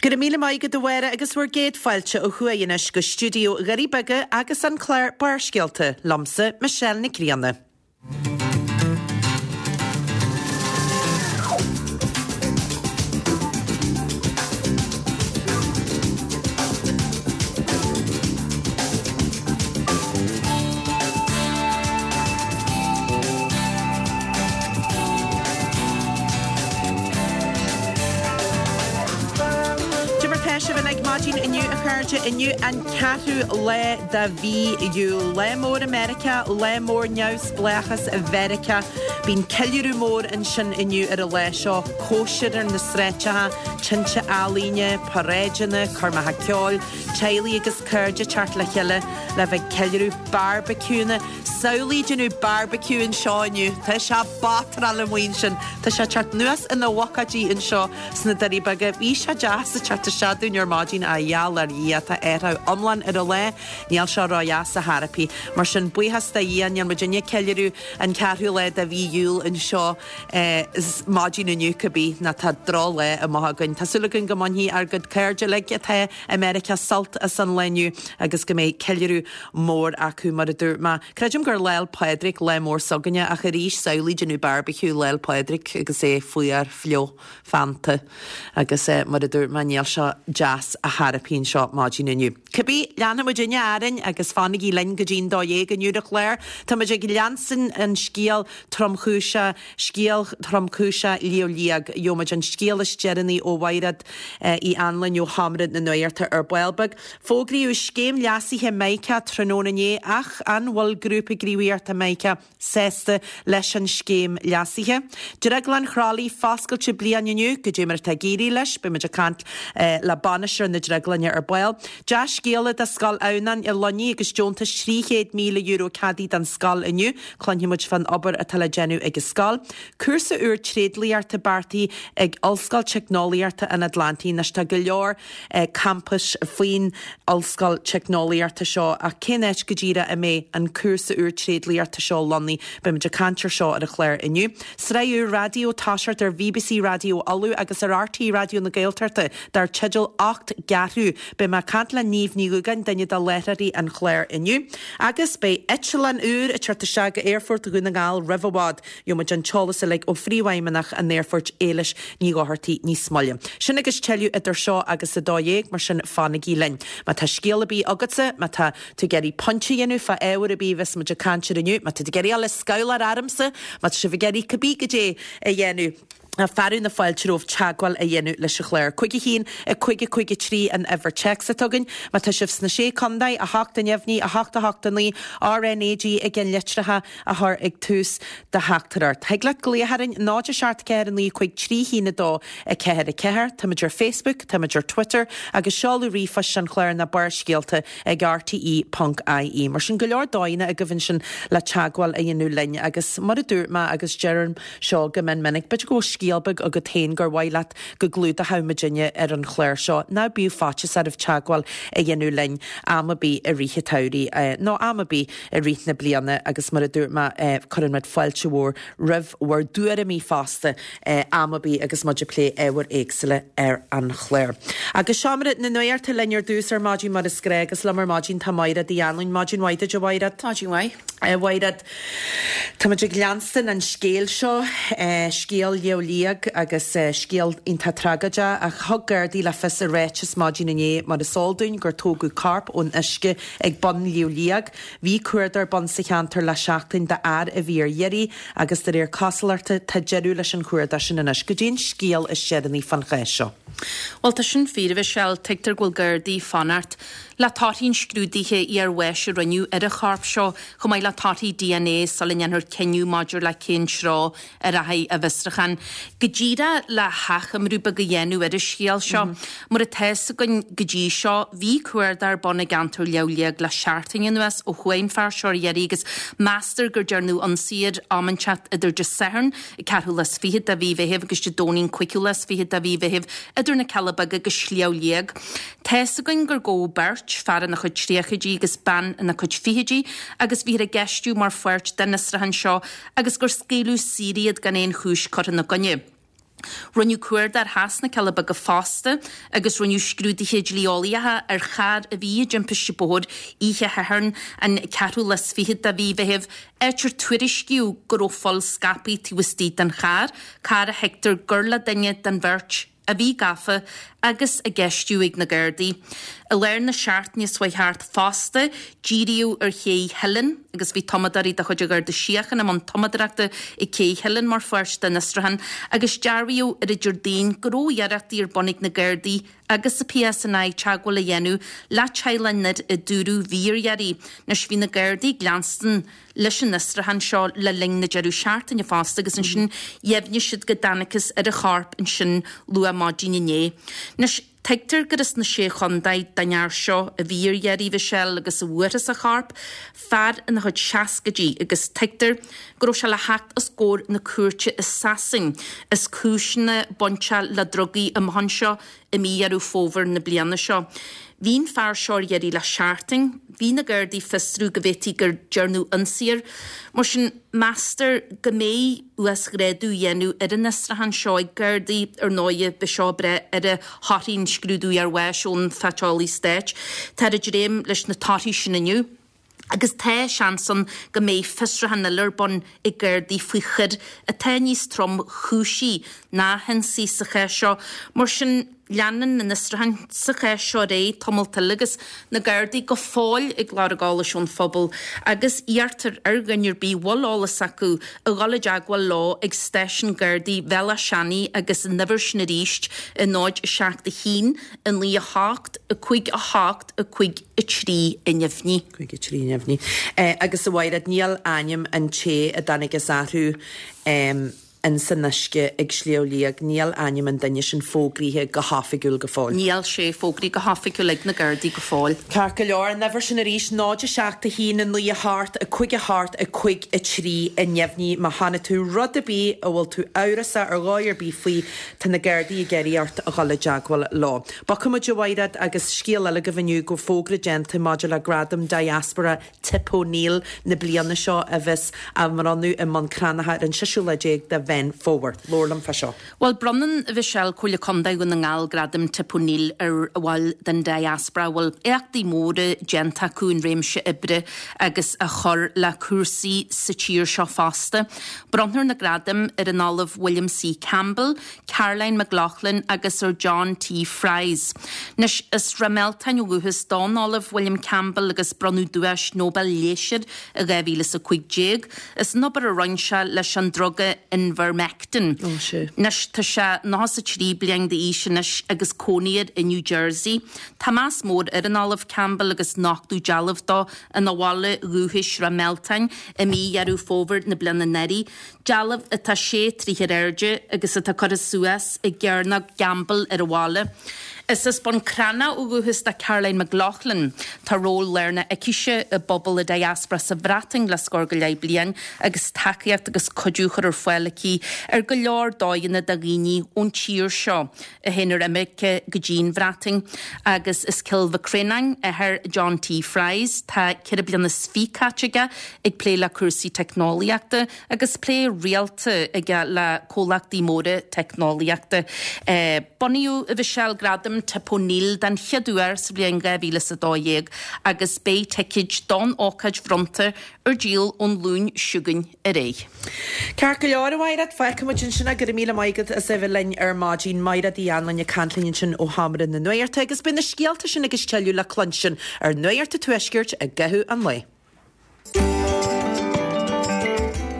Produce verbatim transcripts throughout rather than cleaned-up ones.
Go raibh míle maith agat a Mháire agus bhur gcéad fáilte ó thuaidh anois go stiúideo Dhoirí Beaga agus an clár Barrscéalta, liomsa Michelle Nic Grianna. Cad é mar tá sibh uilig maidin inniu a chairde inniu an ceathrú lá de mhí Iúil. Lá mór i Meiriceá, lá mór neamhspleáchas Mheiriceá. Bíonn ceiliúradh mór ansin inniu ar an lá seo, cóisir ar na sráideacha, tinte ealaíne, paráideanna, coirmeacha ceoil, teaghlaigh agus cairde ag teacht le chéile le bheith ag ceiliúradh, bearbaiciúnna. Samhlaigh déanamh barbecue anseo inniu. Tá sé batráil amuigh ansin. Tá sé ag teacht anuas ina bhucáidí anseo sna Doirí Beaga. Bhí sé deas ag teacht isteach dúinn ar maidin a gheall ar Dhia tá athrú iomlán ar an lá. Níl sé ródheas ar chor ar bith. Mar sin buíochas do Dhia níl muidinne ag ceiliúradh an ceathrú lá de mhí Iúil anseo maidin inniu cibé ná tá drochlá amuigh againn. Tá súil againn go mbainfidh ár gcuid cairde uilig atá i Meiriceá sult as an lá inniu agus go mbeidh ceiliúradh mór acu mar a dúirt mé. Creidim gur Lá 'le Pádraig lá mór s'againne ach arís samhlaigh déanamh barbecue Lá 'le Pádraig agus é fuar fliuch feannta agus mar a dúirt mé níl sé deas ar chor ar bith anseo maidin inniu. Cibé, leanfaidh muidinne orainn agus fanaigí linn go dtí'n dó dhéag inniu ar an chlár. Tá muid ag leanstan an scéal tromchúiseach, scéal tromchúiseach Shliabh Liag. Gheobhaidh muid an scéal is deireanaí ó Mhaighread Uí Anluain ó Sheomra na Nuachta ar ball beag. Fógraíodh scéim leasaithe Mica tráthnóna inné ach an bhfuil Grúpa Gníomhaíochta Mica sásta leis an scéim leasaithe? Drioglann Chroithlí foscailte bliain inniu, goidé mar atá ag éirí leis, beidh muid ag caint le bainisteoir na drioglainne ar ball. Dea-scéala do Scoil Adhamhnáin i Luinnigh agus deontas trí chéad míle euro ceadaithe don scoil inniu. Cluinfidh muid fán obair atá le déanamh ag an scoil. Cúrsa úr tréidliachta beartaithe ag Ollscoil Teicneolaíochta an Atlantaigh. Anois tá go leor campais faoin ollscoil teicneolaíochta seo ach cén áit go díreach a mbeidh an cúrsa úr tréidliachta seo lonnaithe? Beidh muid ag caint ar seo ar an chlár inniu. Sraith úr raidió ag toiseacht ar BBC Raidió Uladh agus ar RTÉ Raidió na Gaeltachta dar teideal Ocht gCeathrú. Beidh mé ag caint le Niamh Ní Dhúgáin, duine de láithreoirí an chláir inniu. Agus beidh eitleán úr ag teacht isteach go Aerfort Dhún na nGall roimh i bhfad. Gheobhaidh muid an t-eolas uilig ó Phríomhfheidhmeannach an Aerfoirt, Éilis Ní Dhochartaigh níos moille. Sin agus tuilleadh idir seo agus a dó dhéag, mar sin fanaigí linn. Má tá scéal ar bith agatsa, má tá tú ag iarraidh pointe a dhéanamh fá ábhar ar bith a bheas muid ag caint air inniu, má tá tú ag iarraidh dul ag scabhláil ormsa, má tá sibh ag iarraidh cibé goidé a dhéanamh, fearadh na fáilte romhaibh teagmháil a dhéanamh leis an chlár. Cúig a haon, a cúig a cúig a trí an uimhir téacs atá againn. Má tá sibh sna Sé Contae, a hocht a neamhní, a hocht a hocht a naoi, RnaG i gceannlitreacha a chur ag tús do theachtaireacht. Thig leat glaoch orainn, náid a seacht ceathair a naoi cúig trí haon a dó a ceathair a ceathair. Táimid ar Facebook, táimid ar Twitter agus seoladh ríomhphoist an chláir ná Barrscéalta ag rte ponc ie. Mar sin go leor dóigheanna agaibh ansin le teagmháil a dhéanamh linn agus mar a dúirt mé agus deirim seo go mion minic, b'fhéidir go bhfuil scéal beag agat féin gur mhaith leat go gclúdódh muidinne ar an chlár seo, ná bíodh faitíos oraibh teagmháil a dhéanamh linn am ar bith i rith an tsamhraidh nó am ar bith i rith na bliana agus mar a dúirt mé cuireann muid fáilte mhór roimh bhur dtuairimí fosta am ar bith agus muid ag plé ábhair éagsúla ar an chlár. Agus Seomra na Nuachta linn ar dtús ar maidin mar is gnách agus liom ar maidin tá Maighread Uí Anluain. Maidin mhaith duit a Mhaighread. Maidin mhaith. A Mhaighread, tá muid ag leanstan an scéil seo, scéal Shliabh Liag agus scéal iontach tragóideach ach thug Gardaí le fios i ráiteas maidin inné mar is eol dúinn gur tógadh corp ón uisce ag bun Shliabh Liag. Bhí cuardach ar bun sa cheantar le seachtain d'fhear a bhí ar iarraidh agus de réir cosúlachta tá deireadh leis an chuardach sin anois. Goidé an scéal is deireanaí fán chás seo. Bhuel, tá sin fíor, a Mhichelle. Tuigtear go bhfuil Gardaí ag fanacht le torthaí an scrúdaithe iarbháis a rinneadh ar an chorp seo, chomh maith le torthaí DNA sula ndéanfar cinneadh maidir le cén treo a rachaidh an bhfiosrúchán. Go díreach le hachoimriú beag a dhéanamh ar an scéal seo, mar atá fhios againn go dtí seo, bhí cuardach ar bun i gceantar Shliabh Liag le seachtain anuas ó chuaigh an fear seo ar iarraidh agus meastar gur dearnadh ionsaí air am inteacht idir Dé Sathairn, an ceathrú lá is fiche de mhí Mheithimh agus Dé Domhnaigh an cúigiú lá is fiche de mhí Mheithimh idir na Cealla Beaga agus Sliabh Liag. Tá fhios againn gur gabhadh beirt, fear ina chuid tríochaidí agus bean ina cuid fichidí, agus bhíothar á gceistiú mar pháirt den fhiosrúchán seo agus gur scaoileadh saor iad gan aon chúis curtha ina gcoinne. Rinneadh cuardach theas na Cille Beaga fosta agus rinneadh scrúduithe dlí-eolaíocha ar charr a bhí i dtimpiste bóthair oíche Shathairn an ceathrú lá is fichead de mhí Mheithimh, áit ar tuairiscíodh go raibh fuil scaipthe taobh istigh den charr, carr a thuigtear gur le duine den bheirt a bhí gafa agus á gceistiú ag na Gardaí. I lár na seachtaine seo chuaigh thart fosta, díríodh ar Ché Theilinn agus bhí tumadóirí de chuid an Gharda Síochána i mbun tumadóireachta ag Cé Theilinn mar pháirt den fhiosrúchán agus dearbhaíodh ar an Déardaoin go raibh iarrachtaí ar bun ag na Gardaí agus an PSNI teagmháil a dhéanamh le teaghlach an fhir a dúradh bhí ar iarraidh. Anois bhí na Gardaí ag leanstan leis an fhiosrúchán seo le linn na deireadh seachtaine fosta agus ansin dheimhnigh siad go dtángthas ar a chorp ansin luath maidin inné. Anois, tuigtear gur as na Sé Chontae don fhear seo a bhí ar iarraidh, Michelle, agus a bhfuarthas a chorp, fear ina chuid seascaidí, agus tuigtear go raibh sé le theacht os comhair na cúirte i Sasain as cúiseanna bainteach le drugaí amach anseo i mí Dheireadh Fómhair na bliana seo. Bhí an fear seo ar iarraidh le seachtain. Bhí na Gardaí ag fiosrú go bhféadfaí gur dearnadh ionsaí air. Mar sin, meastar go mbeidh uasghrádú á dhéanamh ar an fhiosrúchán seo ag Gardaí. Ar ndóighe, beidh seo ag brath ar thorthaí an scrúdú iarbháis ón Phaiteolaí Stáit. Táthar ag dréim leis na torthaí sin inniu. Agus tá seans ann go mbeidh fiosrúchán eile ar bun ag Gardaí faoi choir atá níos tromchúisí ná hionsaí sa chás seo. Mar sin, leanann an fiosrúchán sa chás seo ar aghaidh tamalt eile agus na Gardaí go fóill ag lorg eolais ón phobal agus iarrtar ar dhuine ar bith a bhfuil eolas acu a dhul i dteagmháil leo ag stáisiún Gardaí Bhéal Átha Seanaidh agus an uimhir sin arís, a náid, a seacht, a haon, a naoi, a hocht, a cúig, a hocht, a cúig, a trí a neamhní. cúig a trí neamhní. Agus a Mhaighread, níl ainm an té a dtángthas orthu ins an uisce ag Sliabh Liag, níl ainm an duine sin fógraithe go hoifigiúil go fóill. Níl sé fógraithe go hoifigiúil ag na Gardaí go fóill. Ceart go leor, an uimhir sin arís, náid a seacht a haon a naoi a hocht a cúig a hocht a cúig a trí a neamhní. Má chonaic tú rud ar bith a bhfuil tú amhrasach ar dhóigh ar bith faoi, tá na Gardaí ag iarraidh ort a dhul i dteagmháil leo. Bogfaidh muid a Mhaighread agus scéal eile agaibh inniu go bhfuil fógra déanta maidir le Gradam Diaspora Tip O'Neill na bliana seo a bheas á mbronnadh i mBun Cranncha ar an seisiú lá déag de Mheán Fómhair. Labhair liom fá seo. Bhuel, bronnann a Mhichelle Comhairle Contae Dhún na nGall Gradam Tip O'Neill ar bhaill den Diaspora a bhfuil éachtaí móra déanta acu in réimse oibre agus a chur le cúrsaí sa tír seo fosta. Bronnfar na gradaim ar an Ollamh William C. Campbell, Caroline McLaughlin agus ar John T. Fries. Anois, as Ráth Mealtain ó dhúchas don Ollamh William Campbell agus bronnadh Duais Nobel Leighis air i dhá mhíle is a cúig déag as an obair a rinne sé leis an druga Invermectin. Anois, tá sé nócha is a trí bliain d'aois anois agus cónaí air i New Jersey. Tá meas mór ar an Ollamh Campbell agus nochtadh dealbh dó ina bhaile dhúchais Ráth Mealtain i mí Dheireadh Fómhair na bliana anuraidh. Dealbh atá sé troigh ar airde agus atá curtha suas i gCearnóg Gamble ar an bhaile. Is as Bun Cranncha ó dhúchas do Caroline McLaughlin. Tá ról lárnach aicise i bpobal an diaspora sa Bhreatain le scór go leith bliain agus tacaíocht agus cuidiú á chur ar fáil aici ar go leor dóigheanna do dhaoine ón tír seo a théann ar imirce go dtí an Bhreatain. Agus as Cill Mhic Réanáin, athair John T. Fries, tá ceithre bliana is fiche caite aige ag plé le cúrsaí teicneolaíochta agus plé rialta aige le comhlachtaí móra teicneolaíochta. Bunaíodh a Mhichelle Gradam Tip O'Neill den chéad uair sa bhliain dhá mhíle is a dó dhéag agus beidh ticéid don ócáid bhronnta ar díol ón Luan seo chugainn ar aghaidh. Ceart go leor, a Mhaighread, fágfaidh muid ansin é. Go raibh míle maith agat as a bheith linn ar maidin. Maighread Uí Anluain ag caint linn ansin ó Sheomra na Nuachta agus beidh na scéalta sin agus tuilleadh le cluinstin ar Nuacht an Tuaiscirt i gcaitheamh an lae.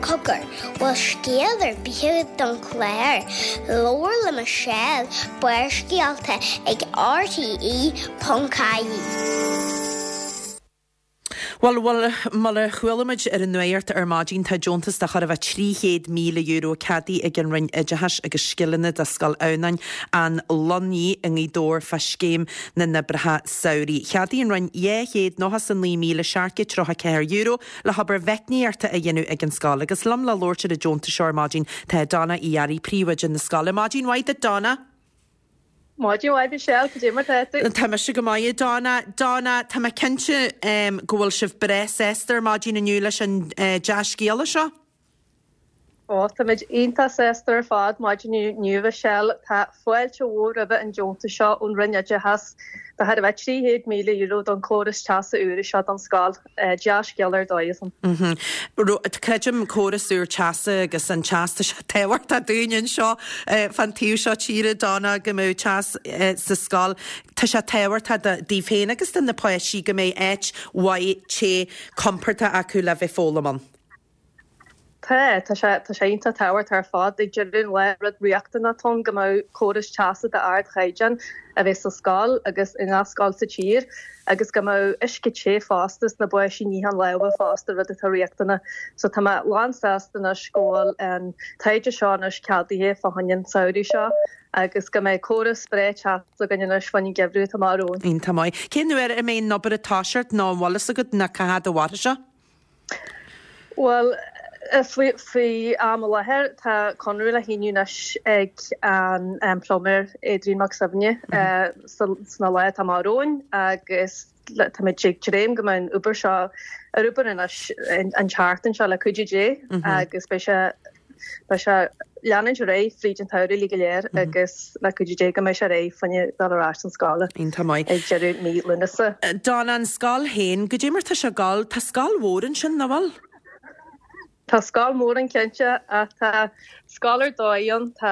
Cogar, bhfuil scéal ar bith agat don chlár? Labhair le Michelle, Barrscéalta ag R T E ponc I E. Bhuel, bhuel, mar a chuala muid ar an nuacht ar maidin, tá deontas de chóir a bheith trí chéad míle euro ceadaithe ag an Roinn Oideachais agus Scileanna do Scoil Adhamhnáin, An Lunaí i nGaoth Dobhair fá Scéim na nOibreacha Samhraidh. Cheadaigh an Roinn dhá chéad nócha is a naoi míle seacht gcéad tríocha ceathair euro le hobair mheicníochta a dhéanamh ag an scoil. Agus liom le labhairt ar an deontas seo ar maidin tá Donna Uí Fhearraigh, príomhoide na scoile. Maidin mhaith duit, Donna. Maidin mhaith Michelle, cad é mar tá tú? Tá mise go maith, Donna. Donna, tá mé cinnte go bhfuil sibh breá sásta ar maidin inniu leis an dea-scéala seo? Ó, táimid iontach sásta ar fad maidin inniu, a Mhichelle. Tá fáilte mhór roimhe an deontas seo ón Roinn Oideachais de chóir a bheith trí chéad míle euro don chóras teasa úr seo don scoil. Dea-scéal ar dóigh san. Creidim córas úr teasa agus an teas, tá sé tábhachtach dúinn anseo fan taobh seo tíre, Donna, go mbeadh teas sa scoil. Tá sé tábhachtach daoibh féin agus do na páistí go mbeidh áit mhaith te compordach acu le bheith foghlaim ann. Tá, tá sé, tá sé iontach tábhachtach ar fad. Ag deireadh an lae, rud riachtanach atá ann go mbeadh córas teasa d'ardchaighdeán a bheith sa scoil agus i ngach scoil sa tír agus go mbeadh uisce te fosta sna báisí níocháin lámha fosta, rud atá riachtanach. So tá mé lánsásta anois go bhfuil an taighde seo anois ceadaithe fá choinne an samhradh seo agus go mbeidh córas breá teasa againn anois fá choinne an geimhreadh atá amach romhainn. Iontach maith. Cén uair a mbeidh an obair ag toiseacht nó an bhfuil fhios agat ná cá fhad a mhairfidh sé? Bhuel, faoi am i láthair tá conradh le shíniú anois ag an pluiméir Adrian Mac Suibhne sna laetha atá amach romhainn agus táimid ag dréim go mbeidh an obair seo ar obair anois an tseachtain seo le cuidiú Dé agus beidh sé beidh sé leanúint ar aghaidh fríd an tsamhradh uilig go léir agus le cuidiú Dé go mbeidh sé réidh fá choinne dul ar ais don scoil Iontach maith. ag deireadh mí Lúnasa. Donna, an scoil féin, goidé mar tá sé ag gabháil, tá scoil mhór ansin, nach bhfuil? Tá scoil mhór ann cinnte ach tá scoil ar dóigh ann, tá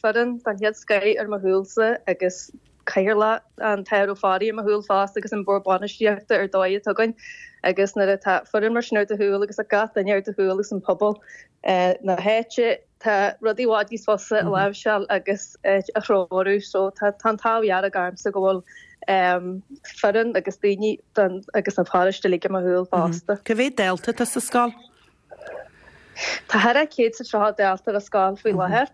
foireann den chéad scoith ar mo chúlsa agus cathaoirleach an tAthair Ó Fearraigh ar mo chúl fosta agus an bord bainistíochta ar dóigh atá againn agus nuair atá foireann mar sin ar do chúl agus gach duine ar do chúl agus an pobal na háite tá rudaí i bhfad níos fusa a láimhseáil agus a threorú so tá an t-ádh dearg ormsa go bhfuil foireann agus daoine agus an pharóiste uilig ar mo chúl fosta. Cá mhéad dalta atá sa scoil? Tá thar a céad is tríocha dalta ar scoil faoi láthair.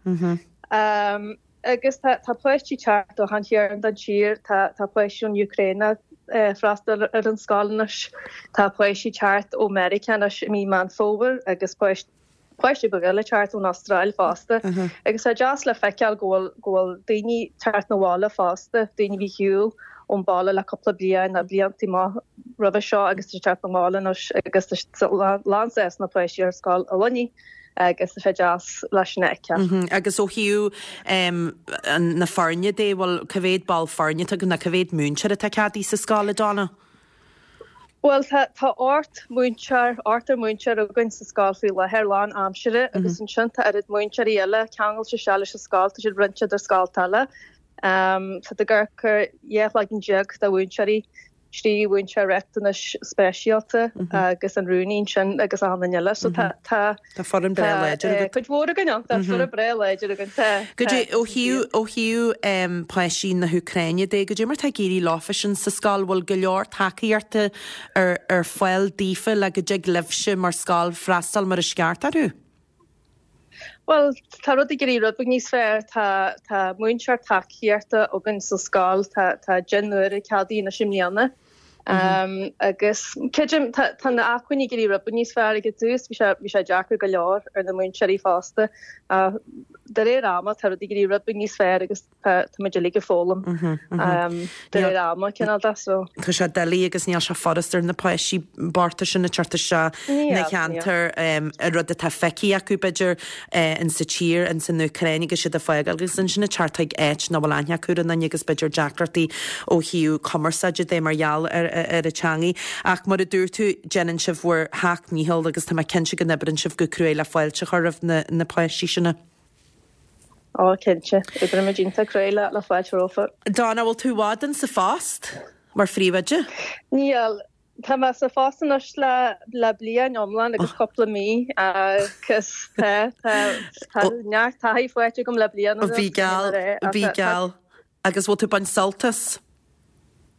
Agus tá tá páistí teacht ó achan chearn den tír, tá tá páistí ón Úcráin ag freastal ar an scoil anois, tá páistí teacht ó Meiriceá anois i mí Meán Fómhair agus páistí páistí beaga eile teacht ón Astráil fosta. Agus tá deas le feiceáil go bhfuil go bhfuil daoine teacht 'na bhaile fosta, daoine a bhí ar shiúl ón baile le cúpla bliain nó blianta maith roimhe seo agus tá teacht 'na bhaile anois agus tá lán sásta na páistí ar scoil i Luimnigh agus tá sé deas leis sin a fheiceáil. Agus ó thaobh na foirne de, bhfuil cá mhéad ball foirne atá agaibh nó cá mhéad múinteoir atá ceadaithe sa scoil, a Donna? Bhuel tá tá ocht múinteoir, ochtar múinteoir againn sa scoil faoi láthair lán aimsire agus ansin tá oiread múinteoirí eile ceangailte isteach leis an scoil, tá siad roinnte idir scolta eile. Tá tú ag amharc ar dhá chloigeann déag de mhúinteoirí, trí mhúinteoir riachtanais speisialta agus an rúnaí ansin agus achan duine eile. So tá tá Tá foireann breá láidir agat. Cuid mhór againn ann, tá foireann breá láidir againn. Tá. Goidé ó thaobh ó thaobh páistí na hÚcráine de, goidé mar tá ag éirí leofa sin sa scoil, bhfuil go leor tacaíochta ar ar fáil daofa le go dtig libhse mar scoil freastal mar is ceart orthu? Bhuel, tá rudaí ag éirí rud beag níos fearr. Tá tá múinteoir tacaíochta againn sa scoil, tá tá deichniúr ceadaithe anois i mbliana. Um, agus creidim tá tá na acmhainní ag éirí rud beag níos fearr ag an tús, bhí sé bhí sé deacair go leor ar na múinteoirí fosta. Uh, de réir ama tá rudaí ag éirí rud beag níos fearr agus tá tá muid uilig ag foghlaim um, de réir ama cineál de so. Tá sé doiligh agus níl sé furast ar na páistí bochta sin ag teacht isteach na ceantar an rud atá feicthe acu b'fhéidir in sa tír in san Úcráin agus siad ag fágáil agus ansin ag teacht chuig áit nach bhfuil aithne acu ar aon duine agus b'fhéidir deacrachtaí ó thaobh cumarsáide de mar gheall ar ar an teangaidh. Ach mar a dúirt tú déanann sibh bhur sheacht ndícheall agus tá mé cinnte go n-oibreann sibh go cruaidh le fáilte a chur roimh na na páistí sin. Ó cinnte, oibrímid iontach cruaidh le le fáilte rompu. Donna, bhfuil tú i bhfad in sa phost mar phríomhoide? Níl, tá mé sa phost anois le le bliain iomlán agus cúpla mí agus tá tá tá neart taithí faighte agam le bliain anuas. Bí geall, bí geall. Agus bhfuil tú ag baint sult as?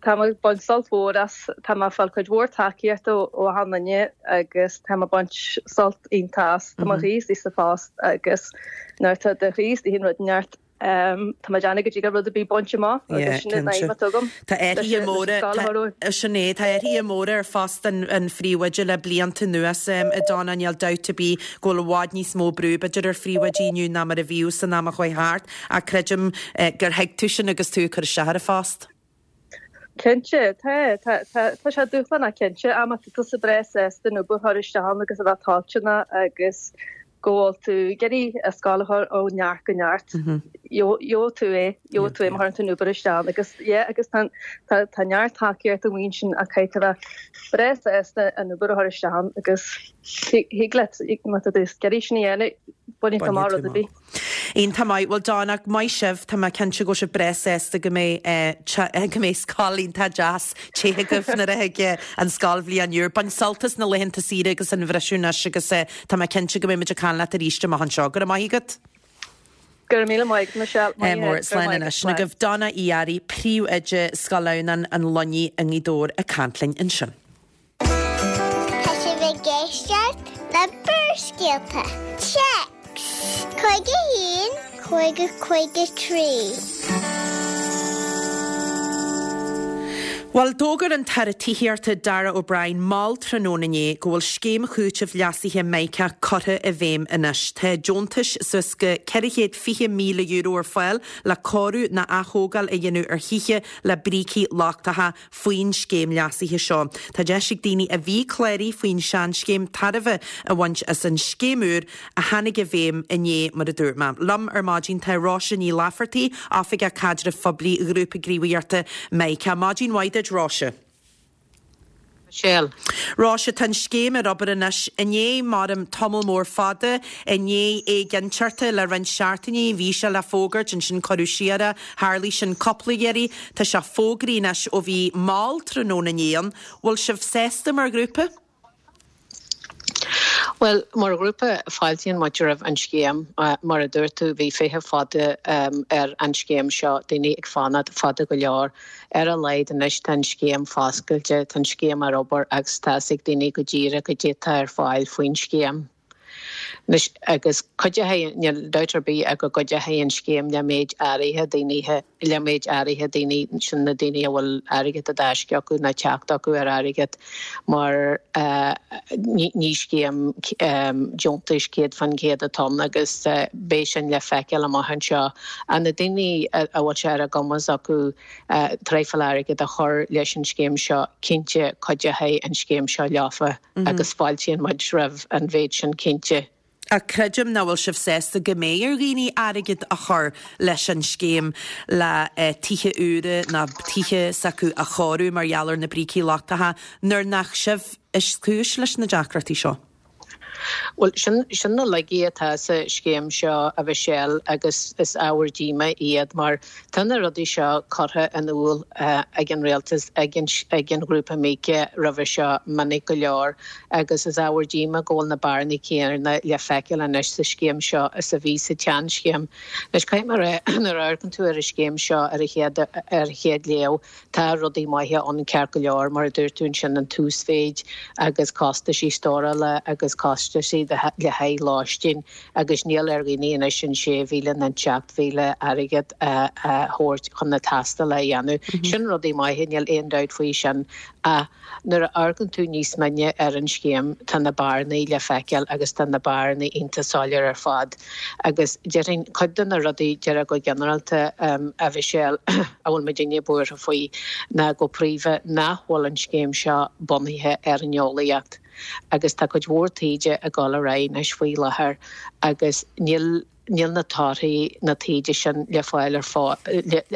Tá mé ag baint sult mhór as, tá mé ag fáil cuid mhór tacaíochta ó achan duine agus tá mé ag baint sult iontach as. Tá mo chroí istigh sa phost agus nuair atá do chroí istigh in rud inteacht tá mé ag déanamh go dtig rud ar bith baint amach agus sin an aidhm atá agam. Tá athruithe móra, sin é, tá athruithe móra ar phost an phríomhoide le blianta anuas, a Donna, níl dabht ar bith go bhfuil i bhfad níos mó brú b'fhéidir ar phríomhoidí inniu ná mar a bhíodh san am a chuaigh thart ach creidim gur thuig tú sin agus tú ag cur isteach ar an phost. Cinnte, tá, tá, tá, tá sé dúshlánach cinnte, ach má tá tusa breá sásta an obair a chur isteach ann agus a bheith toilteanach agus go bhfuil tú ag iarraidh an scoil a chur ó neart go neart. Gheobhaidh tú é, gheobhaidh tú é má chuireann tú an obair isteach agus yeah agus tá tá tá neart tacaíocht amuigh ansin ach caithfidh tú a bheith breá sásta an obair a chur isteach agus thig leat má tá tú ag iarraidh sin a dhéanamh bainfidh tú amach rud ar bith. Iontach maith. Bhuel Donna, maith sibh, tá mé cinnte go bhfuil sibh breá sásta go mbeidh eh, go mbeidh scoil iontach deas te agaibh nuair a thig an scoilbhliain úr. Bain sult as na laethanta saoire agus an bhriseadh anois agus eh, tá mé cinnte go mbeidh muid ag caint leat arís amach anseo. Go raibh maith agat. Go raibh míle maith Michelle. Eh, mór slán anois. Na gobh Donna Uí Fhearraigh, príomhoide Scoil Adhamhnáin an Luinnigh i nGaoth Dobhair ag caint linn ansin. Tá sibh ag éisteacht le Barrscéalta. Téacs Cúig a haon, cúig a cúig a trí. Bhuel, d'fhógair an tAire Tithíochta Darragh O'Brien mall tráthnóna inné go bhfuil scéim chúitimh leasaithe Mica curtha i bhfeidhm anois. Tá deontais suas go ceithre chéad fiche míle euro ar fáil le cóiriú nó athógáil a dhéanamh ar thithe le brící lochtacha faoin scéim leasaithe seo. Tá deis ag daoine a bhí cláraithe faoin seanscéim tairbhe a bhaint as an scéim úr a tháinig i bhfeidhm inné mar a dúirt mé. Liom ar maidin tá Róise Ní Laifeartaigh, Oifigeach Caidrimh Phoiblí Ghrúpa Gníomhaíochta Mica. Maidin mhaith duit, Róise. Michelle. Róise tá an scéim ar obair anois i ndiaidh maram tamall mór fada i ndiaidh éiginnteachta le roinnt seachtainí bhí sé le fógairt ansin cuireadh siar é tharlaigh sin cúpla iarraidh tá sé fógraithe anois ó bhí mall tráthnóna inné an bhfuil sibh sásta mar ghrúpa? Well, mar ghrúpa fáiltíonn muid roimh an scéim mar a dúirt tú bhí feitheamh fada um, ar an scéim seo daoine ag fanacht fada go leor. Ar a laghad anois tá an scéim foscailte, tá an scéim ar obair agus tá ag daoine go díreach cad é atá ar fáil faoin scéim. Anois agus cuideoidh níl dabht ar bith ach go gcuideoidh an scéim le méid áirithe daoine le méid áirithe daoine sin na daoine a bhfuil airgead i dtaisce acu nó teacht acu ar airgead mar uh, ní, ní scéim um, deontais céad faoin gcéad atá ann agus uh, beidh sin le feiceáil amach anseo. A na daoine a bhfuil sé ar a gcumas acu uh, traidhfil airgead a chur leis an scéim seo cinnte cuideoidh an scéim seo leofa mm -hmm. agus fáiltíonn muid roimh an mhéid sin cinnte. A creidim nach bhfuil sibh sásta go mbeidh ar dhaoine airgead a chur leis an scéim le eh, tithe úra nó tithe s'acu a chóiriú mar gheall ar na brící lochtacha nuair nach sibh is cúis leis na deacrachtaí seo. Well sin sin na laigí atá sa scéim seo a Mhichelle agus is ábhar díomá iad mar tá na rudaí seo curtha in iúl uh, ag an rialtas ag an, ag an ghrúpa Mica roimhe seo minic go leor agus is ábhar díomá go bhfuil na bearnaí céanna le feiceáil anois sa scéim seo is a bhí sa tseanscéim. Anois caithfidh mé a nuair a amharcann tú ar an scéim seo ar a chéad ar a chéad léamh tá rudaí maithe ann ceart go leor mar a dúirt tú ansin an t-uasmhéid agus costaisí stórála agus costaisí le haghaidh lóistín agus níl ar dhaoine anois an sé mhíle nó an seacht mhíle airgead a thabhairt chun na tástála a dhéanamh. Mm -hmm. Sin rudaí maithe níl aon dabht faoi sin a nuair a amharcann tú níos mine ar an scéim tá na bearnaí le feiceáil agus tá na bearnaí iontach soiléir ar fad. Agus déarfainn cuid de na rudaí deir go ginearálta um, a Mhichelle a bhfuil muidinne buartha faoi ná go príomha nach bhfuil an scéim seo bunaithe ar an eolaíocht. Agus tá cuid mhór taighde ag dul ar aghaidh anois faoi láthair agus níl níl na torthaí na taighde sin le fáil ar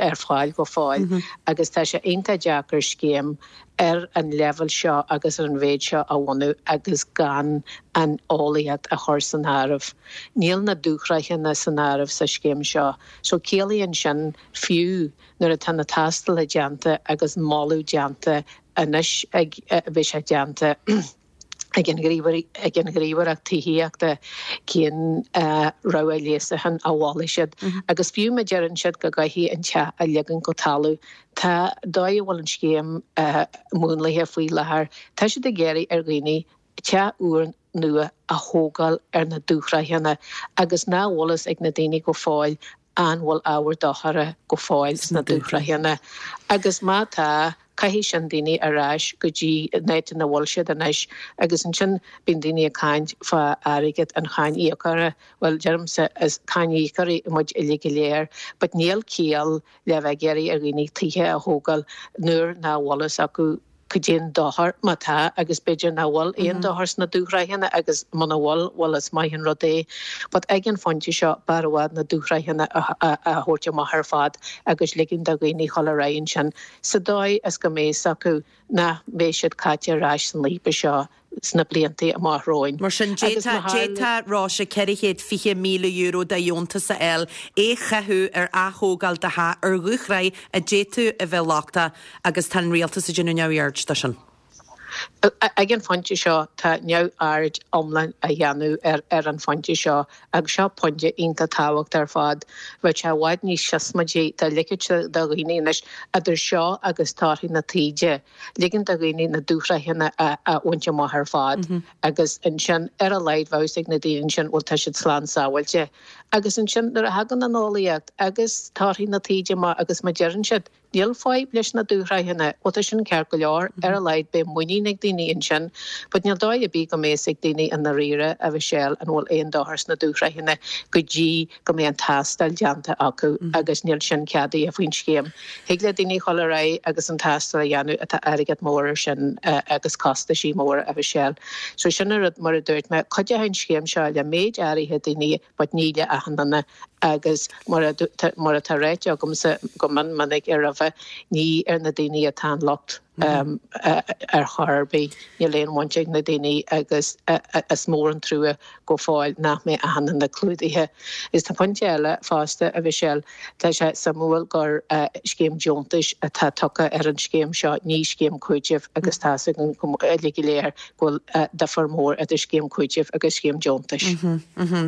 ar fáil go fóill mm -hmm. agus tá sé iontach deacair scéim ar an leibhéal seo agus ar an mhéid seo a bhunú agus gan an eolaíocht a chur san áireamh. Níl na dúshraitheanna san áireamh sa scéim seo, so ciallaíonn sin fiú nuair atá na tástálacha déanta agus moladh déanta anois ag bheith sé déanta ag an ag an ghníomhaireacht tithíochta cén uh, rogha leasúcháin a mholfaidh siad. Mm -hmm. Agus fiú má deireann siad go gcaithfidh an teach a ligean go talamh Tá dóigh a bhfuil an scéim uh, múnlaithe faoi láthair, Tá siad ag iarraidh ar dhaoine teach úr nua a thógáil ar na dúshraitheanna agus nach bhfuil a fhios ag na daoine go fóill an bhfuil ábhar dochar go fóill sna dúshraitheanna. Agus má tá caithfidh sin daoine ar ais go dtí an áit ina bhfuil siad anois agus ansin bíonn daoine ag caint fá airgead an cháiníocóra well deirimse is cáiníocóirí muid uilig go léir, but níl ciall le bheith ag iarraidh ar dhaoine tithe a thógáil nuair nach bhfuil a fhios acu Cad é an dochar má tá agus b'fhéidir nach bhfuil aon dochar sna dúshraitheanna agus muna bhfuil, bhuel is maith an rud é. But ag an phointe seo b'fhearr i bhfad na dúshraitheanna a thabhairt amach ar fad agus ligean do dhaoine dhul ar aghaidh ansin sa dóigh is go mbeidh fhios acu nach mbeidh siad caite ar ais san líbe seo sna blianta amach romhainn. Mar sin, d'fhéadfadh Róise ceithre chéad fiche míle euro de dheontas a fháil, é a chaitheamh ar ath-thógáil do theach ar dhúshraith a d'fhéadfadh a bheith lochtach agus tá an rialtas ag déanamh neamhaird de sin. Ag an phointe seo tá neamhaird iomlán á dhéanamh ar ar an phointe seo agus seo pointe iontach tábhachtach ar fad. Bheadh sé i bhfad níos siosmaidí dá ligfeadh do dhaoine anois idir seo agus torthaí na taighde, ligean do dhaoine na dúshraitheanna a bhaint amach ar fad agus ansin ar a laghad bheadh fhios ag na daoine ansin bhuel tá siad slán sábháilte. Agus ansin nuair a thagann an eolaíocht agus torthaí na taighde amach agus má deireann siad níl fadhb leis na dúshraitheanna, bhuel tá sin ceart go leor, ar a laghad beidh muinín ag daoine ansin. But níl dóigh ar bith go mbeidh fhios ag daoine i ndáiríre, a Mhichelle, an bhfuil aon dochar sna dúshraitheanna go dtí go mbeidh an tástáil déanta acu agus níl sin ceadaithe faoin scéim. Thig le daoine dhul ar aghaidh agus an tástáil a dhéanamh ach tá airgead mór ar sin agus costaisí móra, a Mhichelle. So sin an rud, mar a dúirt mé, cuideoidh an scéim seo le méid áirithe daoine but ní le achan duine agus mar a mar atá ráite agamsa go mion minic ar roimhe, ní ar na daoine atá an locht ar chor ar bith. Níl aon bhaint ag na daoine agus is mór an trua go fóill nach mbeidh achan duine clúdaithe. Is tá pointe eile fosta, a Mhichelle, tá sé suimiúil gur scéim deontais atá tugtha ar an scéim seo, ní scéim cúitimh agus tá 'fhios againn uilig go léir go bhfuil difear mór idir scéim cúitimh agus scéim deontais.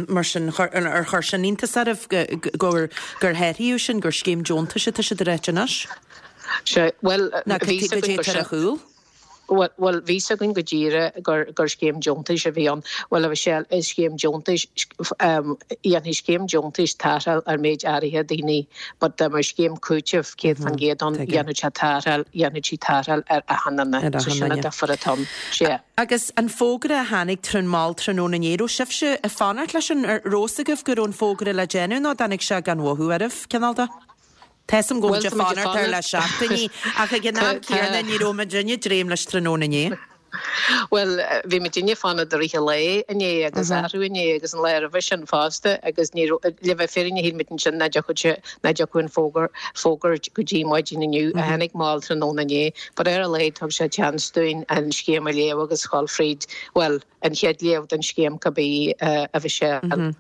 Mar sin, ar chuir sin iontas oraibh gur gur hathraíodh sin, gur scéim deontais atá siad a ráit anois? Sea, bhuel, Ná cad é atá ar a chúl? Bhuel, bhí 'fhios againn go díreach gur gur scéim deontais a bhí ann. Bhuel, a Mhichelle, is scéim deontais, dhéanfaidh scéim deontais tarrtháil ar méid áirithe daoine, but dá mbeadh scéim cúitimh céad faoin gcéad ann, dhéanfadh sé tarrtháil, dhéanfadh sí tarrtháil ar achan duine. So sin an difear atá ann. Sea. Agus an fógra a tháinig trín mall tráthnóna inné, raibh sibhse ag fanacht leis an, raibh 'fhios agaibh go raibh an fógra le déanamh nó dtáinig sé gan mhothú oraibh, cineál de? Tá 'fhios a'm go raibh muid ag fanacht air le seachtainí, ach ag an am céanna ní raibh muidinne ag dréim leis tráthnóna inné. Bhuel, bhí muidinne ag fanacht i rith an lae inné agus arú inné agus an lá roimhe sin fosta agus ní raibh, le bheith fírinneach shíl muid ansin nach dtiocfadh sé, nach dtiocfadh an fógra, fógairt go dtí maidin inniu a tháinig mall tráthnóna inné. But ar a laghad thug sé chance dúinn an scéim a léamh agus dhul fríd, bhuel, an chéad léamh den scéim cibé a Mhichelle.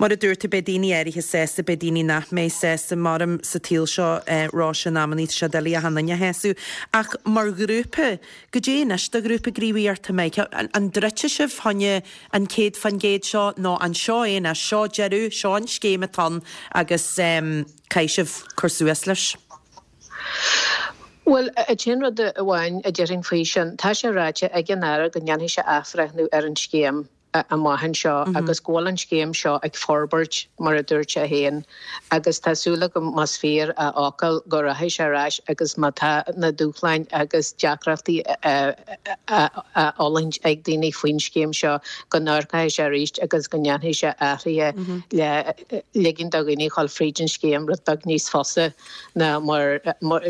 Mar a dúirt tú, beidh daoine áirithe sásta, beidh daoine nach mbeidh sásta. Maram sa tsaol seo, Róise, in amannaí tá sé doiligh achan duine a shásamh. Ach mar ghrúpa, goidé anois do ghrúpa gníomhaíochta Mike? An dtroidfidh sibh fá choinne an céad faoin gcéad seo nó an seo é anois, seo deireadh, seo an scéim atá ann agus caithfidh sibh cur suas leis? Bhuel, an t-aon rud amháin a déarfainn faoi sin, tá sé ráite ag an Aire go ndéanfaidh sé athbhreithniú ar an scéim. amach anseo agus go bhfuil an scéim seo ag forbairt, mar a dúirt sé féin, agus tá súil agam, más fíor a fhocal, go rachaidh sé ar ais agus má tá na dúshláin agus deacrachtaí á fhulaingt ag daoine faoin scéim seo, go n-amharcfaidh sé arís agus go ndéanfaidh sé athruithe le ligean do dhaoine dhul fríd an scéim rud beag níos fusa. ná mar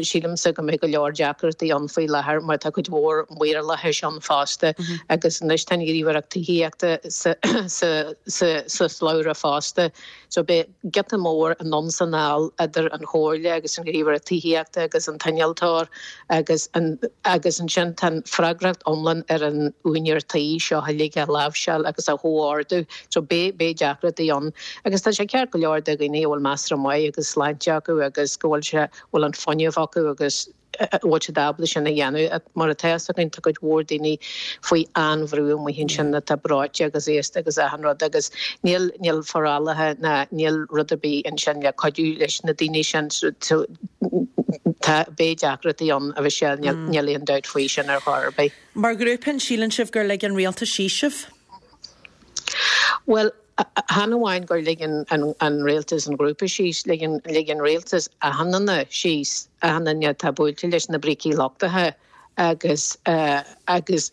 sílimse go mbeidh go leor deacrachtaí ann faoi láthair mar tá cuid mhór maorlathais ann fosta agus anois tá an Ghníomhaireacht Tithíochta sa slabhra fosta. So beidh giota mór anonn is anall idir an Chomhairle agus an Ghníomhaireacht Tithíochta agus an t-innealtóir agus agus ansin tá an freagracht iomlán ar an úinéir tí seo uilig a láimhseáil agus a chomhordú. So beidh beidh deacrachtaí ann agus tá sé ceart go leor do dhaoine a bhfuil measartha maith agus sláinte acu agus go bhfuil sé, bhfuil an fuinneamh acu agus bhfuil siad ábalta sin a dhéanamh. Mar atá fhios againn tá cuid mhór daoine faoi an-bhrú amuigh ansin atá breoite agus aosta agus achan rud agus níl, níl forálacha ná níl rud ar bith ansin le cuidiú leis na daoine sin so tá, beidh deacrachtaí ann a Mhichelle, níl, níl aon dabht faoi sin ar chor ar bith. Mar ghrúpa an síleann sibh gur lig an rialtas síos sibh? Bhuel, Chan amháin gur lig an rialtas an grúpa síos, lig an rialtas achan duine síos, achan duine atá buailte leis na brící lochtacha agus agus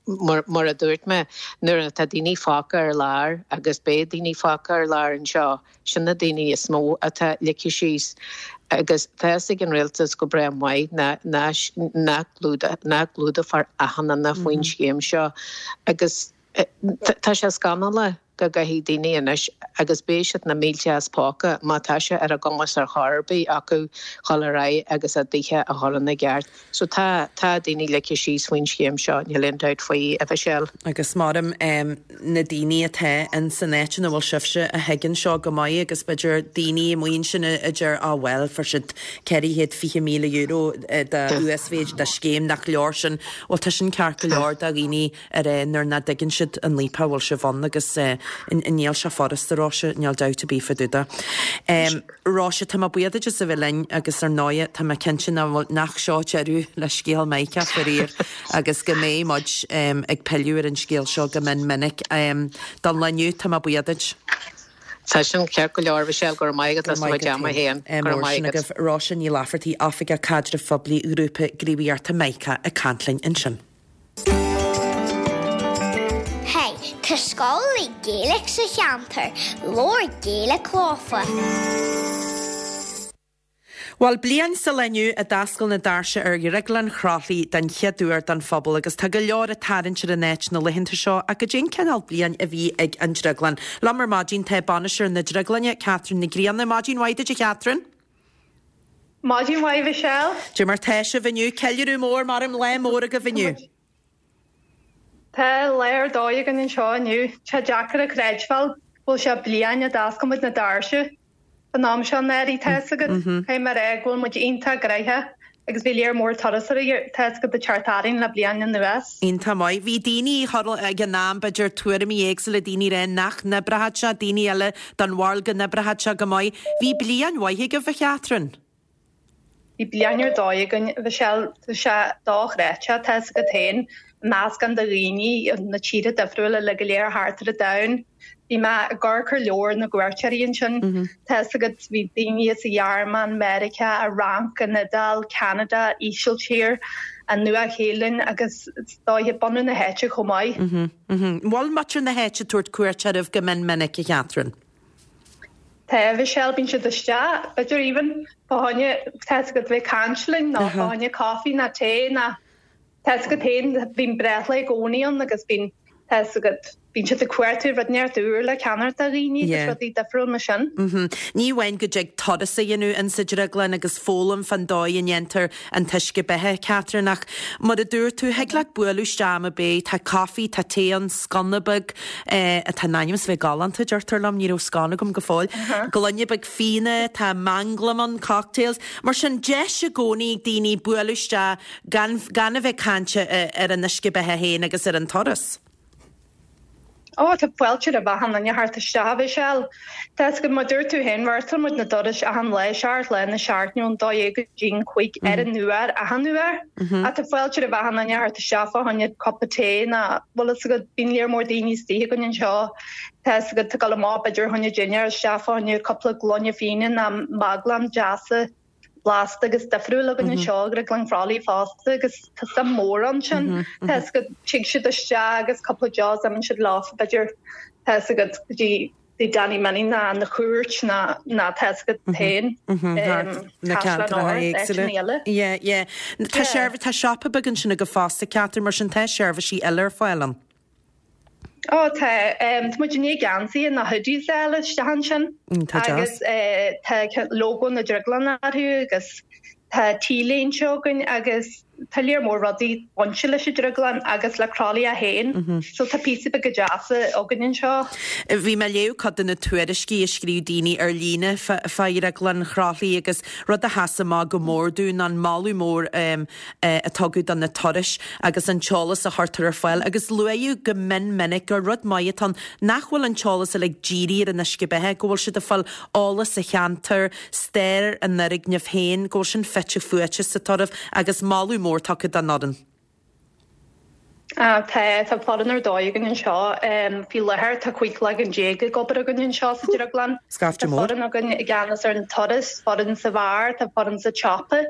mar, mar a dúirt mé, nuair atá daoine fágtha ar lár agus beidh daoine fágtha ar lár anseo, sin na daoine is mó atá ligthe síos. Agus tá fhios ag an rialtas go breá maith nach gclúdófar achan duine faoin scéim seo. Agus tá sé scannalach go gcaithfidh daoine anois agus beidh siad na mílte as póca má tá sé ar a gcumas ar chor ar bith acu dhul ar aghaidh agus a dtithe a chur ina gceart. So tá, tá daoine ligthe síos faoin scéim seo, níl aon dabht faoi, a Mhichelle. Agus maram na daoine atá in san áit ina bhfuil sibhse a thuigeann seo go maith agus b'fhéidir daoine amuigh ansin a deir ah bhuel fuair siad ceithre chéad fiche míle euro de uasmhéid de scéim nach leor sin. Bhuel tá sin ceart go leor do dhaoine ar nuair nach dtuigeann siad an leap a bhfuil sibh ann agus níl sé furasta Róise, níl dabht ar bith fá dtaobh de. Róise, tá mé buíoch duit as a bheith linn agus ar ndóigh tá mé cinnte nach seo deireadh le scéal Mhica faraor agus go mbeidh muid ag pilleadh ar an scéal seo go mion minic. Don lá inniu tá mé buíoch duit. Tá sin ceart go leor Michelle, go raibh maith agat as do chuid ama féin. Go raibh maith agat. Róise Ní Laifeartaigh, Oifigeach Caidrimh Phoiblí Ghrúpa Gníomhaíochta Mica ag caint linn ansin. Hey, tá scoil Gaeilge sa cheantar, labhair Gaeilge leofa. Bhuel, bliain sa lá inniu a d'oscail na doirse ar Dhrioglann Chroithlí den chéad uair don phobal agus tá go leor ag tarraingt ar an áit na laethanta seo ach goidé an cineál bliain a bhí ag an drioglann. Liom ar maidin tá bainisteoir na drioglainne, Catherine Nic Grianna. Maidin mhaith duit a Catherine. Maidin mhaith Michelle. Dé mar tá sibh inniu ceiliúradh mór mar an lá mór agaibh inniu. Tá lá ar dóigh againn anseo inniu, tá deacair a chreidbheáil go bhfuil sé bliain a d'oscail muid na doirse. An am seo anuraidh tá fhios agat, caithfidh mé a rá go bhfuil muid iontach gnoitheach agus bhí léar mór turasóirí tá fhios agat ag teacht orainn le bliain anuas. Iontach maith. Bhí daoine thar ag an am, b'fhéidir tuairimí éagsúla, daoine ag rá nach n-oibreoidh sé, daoine eile den bharúil go n-oibreoidh sé go maith. Bhí bliain mhaith agaibh a Chatherine. Bhí bliain ar dóigh againn, Michelle, tá sé dochreidte, tá fhios agat féin, meascán de dhaoine na tíortha difriúla le go léir thart ar an domhan. Bhí mé ag amharc ar leabhar na gcuairteoirí ansin. Tá fhios agat, bhí daoine as an Ghearmáin, Meiriceá, an Fhrainc, an Iodáil, Ceanada, Ísiltír, an Nua-Shéalainn agus is dóiche bunadh na háite chomh maith. Bhfuil muintir na háite ag tabhairt cuairt oraibh go mion minic, a Chatherine? Tá, Michelle, bíonn siad isteach, b'fhéidir even fá choinne, tá fhios agat, bheith ag caint linn nó fá choinne coffee nó tae nó tá fhios agat féin, bíonn breithlá i gcónaí ann agus bíonn, tá fhios agat, bíonn siad ag cuartú rud inteacht úr le ceannacht do dhaoine agus rudaí difriúil mar sin. Ní amháin go dtig turas a dhéanamh insa drioglann agus foghlaim fán dóigh a ndéantar an t-uisce beatha, Catherine, ach mar a dúirt tú, thig leat bualadh isteach am ar bith, tá caife, tá tae ann, sconna beag, atá in ainm is a bheith galánta, deirtear liom, ní raibh scone agam go fóill, gloine beag fíona, tá manglam ann, cocktails. Mar sin, deis i gcónaí ag daoine bualadh isteach gan, gan a bheith ag caint ar an uisce beatha féin agus ar an turas. Ó, tá fáilte roimh achan duine theacht isteach, a Mhichelle. Tá fhios agat, mar dúirt tú féin, reáchtáil muid na dorais achan lá, seacht lá na seachtaine ón dó dhéag go dtí an cúig ar an uair, achan uair. Ach tá fáilte roimh achan duine theacht isteach fá choinne cupa tae nó, bhfuil fhios agat, bíonn léar mór daoine istigh againn anseo, tá fhios agat, ag dul amach b'fhéidir fá choinne dinnéar isteach fá choinne cúpla gloine fíona nó maglam deasa. blasta agus difriúil againn anseo i nDrioglann Chroithlí fosta agus tá suim mór ansin. Tá fhios agat, tig siad isteach agus cúpla deos imíonn siad leo b'fhéidir tá fhios agat go dtí dtí Danny Minnie ná an Chúirt ná ná tá fhios agat féin na Caisleán ceantracha Ard, éagsúla. áiteanna eile. Yeah, yeah. Tá seirbh tá siopa beag ansin agaibh fosta, Catherine, mar sin tá seirbhísí eile ar fáil ann. Ó tá, tá muid i ndiaidh geansaithe nó hoodies a fháil isteach ansin agus tá lógó na drioglainne orthu agus tá t-léinte againn agus tá léar mór rudaí bainte leis an drioglann agus le Crolly é féin so tá píosa beaga deasa againn anseo. Bhí mé ag léamh cuid de na tuairiscí a scríobh daoine ar líne fá Dhrioglann Chroithlí agus rud a sheas amach go mór domh ná an moladh mór a tugadh do na turais agus an t-eolas a chuirtear ar fáil agus luaíodh go mion minic gur rud maith atá ann nach bhfuil an t-eolas uilig dírithe ar an uisce beatha, go bhfuil siad ag fáil eolas sa cheantar, stair an fhoirgnimh féin, go bhfuil sin fite fuaite sa turas agus moladh mór tugtha don fhoireann. Ah, tá tá foireann ar dóigh againn anseo. Faoi láthair tá cúig cloigeann déag ag obair againn anseo sa Drioglann. Scaifte Tá mór. foireann againn i gceannas ar an turas, foireann sa bheár, tá foireann sa tsiopa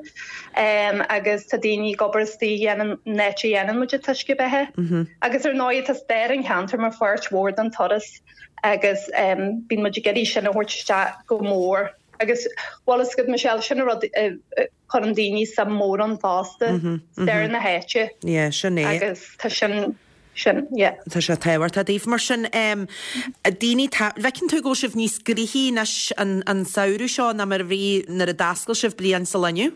agus tá daoine ag obair istigh a dhéanann an áit a dhéanann muid an t-uisce beatha. Agus ar ndóigh tá stair an cheantair mar pháirt mhór den turas agus bíonn muid ag iarraidh sin a thabhairt isteach go mór. Agus bhfuil fhios agat Michelle, sin an rud a chuireann daoine suim mór ann fosta, stair na háite. Yeah, sin é. Agus tá sin, sin, yeah. Tá sé tábhachtach daoibh. Mar sin, daoine, tá, bhfeiceann tú go bhfuil sibh níos gnoithí anois an, an samhradh seo ná mar a bhí nuair a d'oscail sibh bliain sa lá inniu?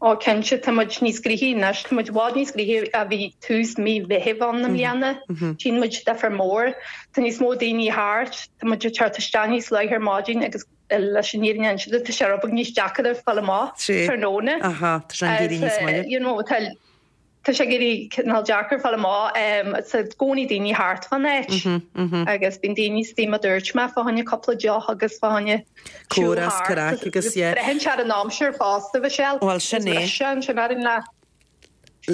Ó cinnte, tá muid níos gnoithí anois, tá muid i bhfad níos gnoithí a bhí tús mí Mheithimh ann i mbliana. Tchíonn muid difear mór. Tá níos mó daoine thart, tá muid ag teacht isteach níos luaithe ar maidin agus leis an fhírinne a inse duit, tá sé rud beag níos deacair fáil amach tráthnóna. Aha, tá sé ag éirí níos moille. You know, tá Tá sé ag éirí cineál deacair fáil amach tá i gcónaí daoine thart fán áit agus bíonn daoine istigh mar a dúirt mé fá choinne cúpla deoch agus fá choinne siúl Comhrá thart. craic agus yeah. Braitheann sé ar an aimsir fosta Michelle. Bhuel sin é. Is breise ansin ar an lá.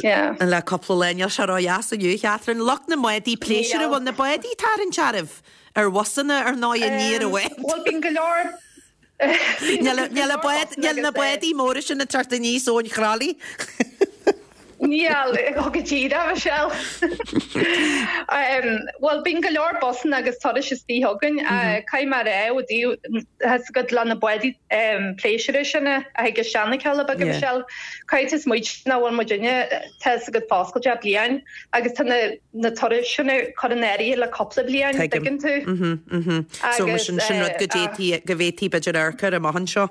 Yeah. Le cúpla lá níl sé ródheas inniu a Chatherine. Lucht na mbádaí pléisiúir Níl. bhfuil na bádaí ag tarraingt oraibh ar bhusanna ar ndóigh aniar i bhfad. Bhuel bíonn go leor Níl na bádaí móra sin ag teacht aníos ón Chroithlí. Níl go díreach Michelle. Bhuel bíonn go leor busanna agus turais istigh chugainn caithfidh mé a rá ó thaobh go le na bádaí pléisiúir sin a thig isteach na Cealla Beaga Michelle. Caithfidh tú smaoitiú nach bhfuil muidinne tá fhios agat foscailte le bliain agus tá na na turais sin curtha in áirithe le cúpla bliain, Tuigim. dtuigeann tú? Mhm, mhm. So mar sin sin rud go dtéití go bhféadfaí b'fhéidir amharc air amach anseo.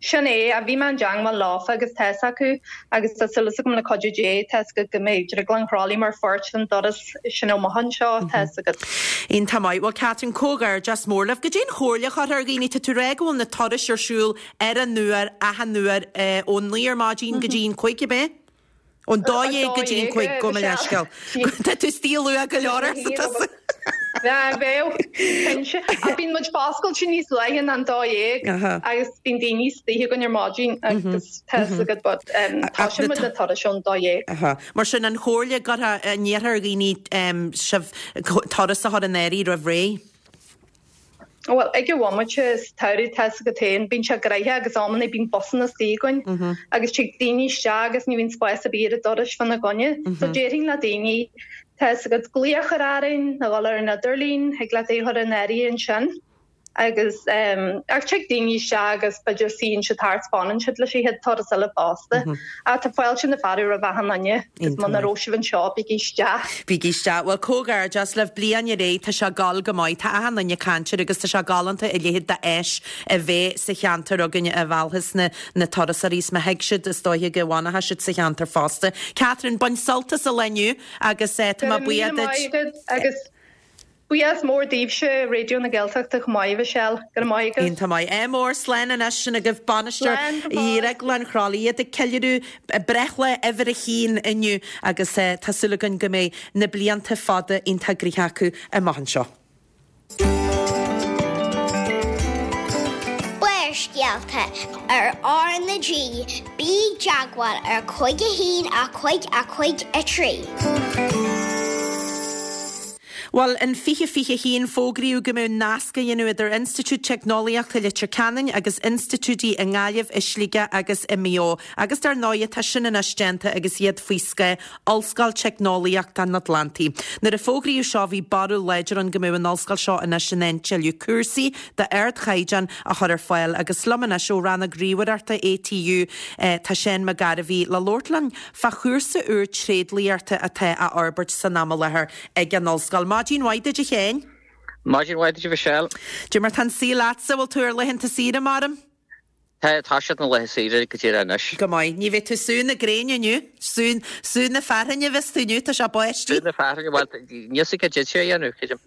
Sin é, a bhí mé i dteangmháil leofa agus tá fhios acu agus tá súil agam le cuidiú Dé tá fhios agat go mbeidh Drioglann Chroithlí mar pháirt den dturas sin amach anseo tá fhios agat. Iontach maith. Bhuel Catherine, comhghairdeas mór libh. Goidé an chomhairle a chuirfeá ar dhaoine, tá tú ag rá go bhfuil na turais ar siúl ar an uair, achan uair, eh, ón naoi ar maidin go dtí an cúig, ab é? Ón dó dhéag go dtí an cúig, gabh mo leithscéal. Tá tú istigh luath go leor arsa tusa. Bheadh, cinnte. Ach bíonn muid foscailte níos luaithe ná an dó dhéag agus bíonn daoine istigh againn ar maidin agus tá fhios agat but tosaíonn muid na turais ón dó dhéag. Mar sin an chomhairle go ndéarfá ar dhaoine sibh turas a chur in áirithe roimh ré? Bhuel, ag an bhomaite sa tsamhradh tá fhios agat féin, bíonn sé gnoitheach agus amannaí bíonn busanna istigh againn agus tig daoine isteach agus ní bhíonn spás ar bith ar an doras fána gcoinne. So déarfainn le daoine, tá fhios agat, glaoch a chur orainn nó dhul ar an idirlíon, thig leat é a chur in áirithe ansin. Agus ach tig daoine isteach agus b'fhéidir suíonn siad thart, fanann siad leis an chéad turas eile fosta. Ach tá fáilte na fearadh roimh achan duine agus muna raibh sibh anseo, bígí isteach. Bígí isteach. Bhuel, comhghairdeas libh, bliain ar aghaidh, tá sé ag gabháil go maith, tá achan duine ag caint air agus tá sé galánta a leithéid d'áis a bheith sa cheantar againn a mheallfas na na turasóirí is má thig siad is dóiche go bhfanfaidh siad sa cheantar fosta. Catherine, bain sult as an lá inniu agus eh, tá Go mé raibh buíoch míle maith duit. agat agus Buíochas mór daoibhse, Raidió na Gaeltachta chomh maith, a Mhichelle. Go raibh maith agat. Iontach maith. Ádh mór, slán anois, sin agaibh bainisteoir Slán go fóill. Dhrioglann Chroithlí, iad ag ceiliúradh breithlá uimhir a haon inniu agus tá súil againn go mbeidh na blianta fada iontach gnoitheach acu amach anseo. Barrscéalta ar R na G, bí i dteagmháil ar cúig a haon a cúig a cúig a trí. Bhuel, in fiche fiche haon fógraíodh go mbeadh nasc á dhéanamh idir Institiúid Teicneolaíochta Leitir Ceanainn agus institiúidí i nGaillimh, i Sligeach agus i Maigh Eo. Agus dar ndóigh tá sin anois déanta agus iad faoi scáth Ollscoil Teicneolaíochta an Atlantaigh. Nuair a fógraíodh seo bhí barúil láidir ann go mbeadh an ollscoil seo anois in ann tuilleadh cúrsaí d'ardchaighdeán a chur ar fáil agus liom anois ó rannóg ríomhaireachta ATU tá Seán Mac Gairbhí le labhairt linn fá chúrsa úr tréidliachta atá á fhorbairt san am i láthair ag an ollscoil. Maidin mhaith duit a Sheáin. Maidin mhaith duit a Mhichelle. Cad é mar tá an saol leatsa bhfuil tú ar laethanta saoire maram? Tá tá siad na laethe saoire go dtí anois. Go maith, ní bheidh tú sú na gréine inniu, sú sú na fearthainne bheas tú inniu, tá sé báistí. Sú na fearthainne, bhuel níl sé cad sé a dhéanamh, creidim.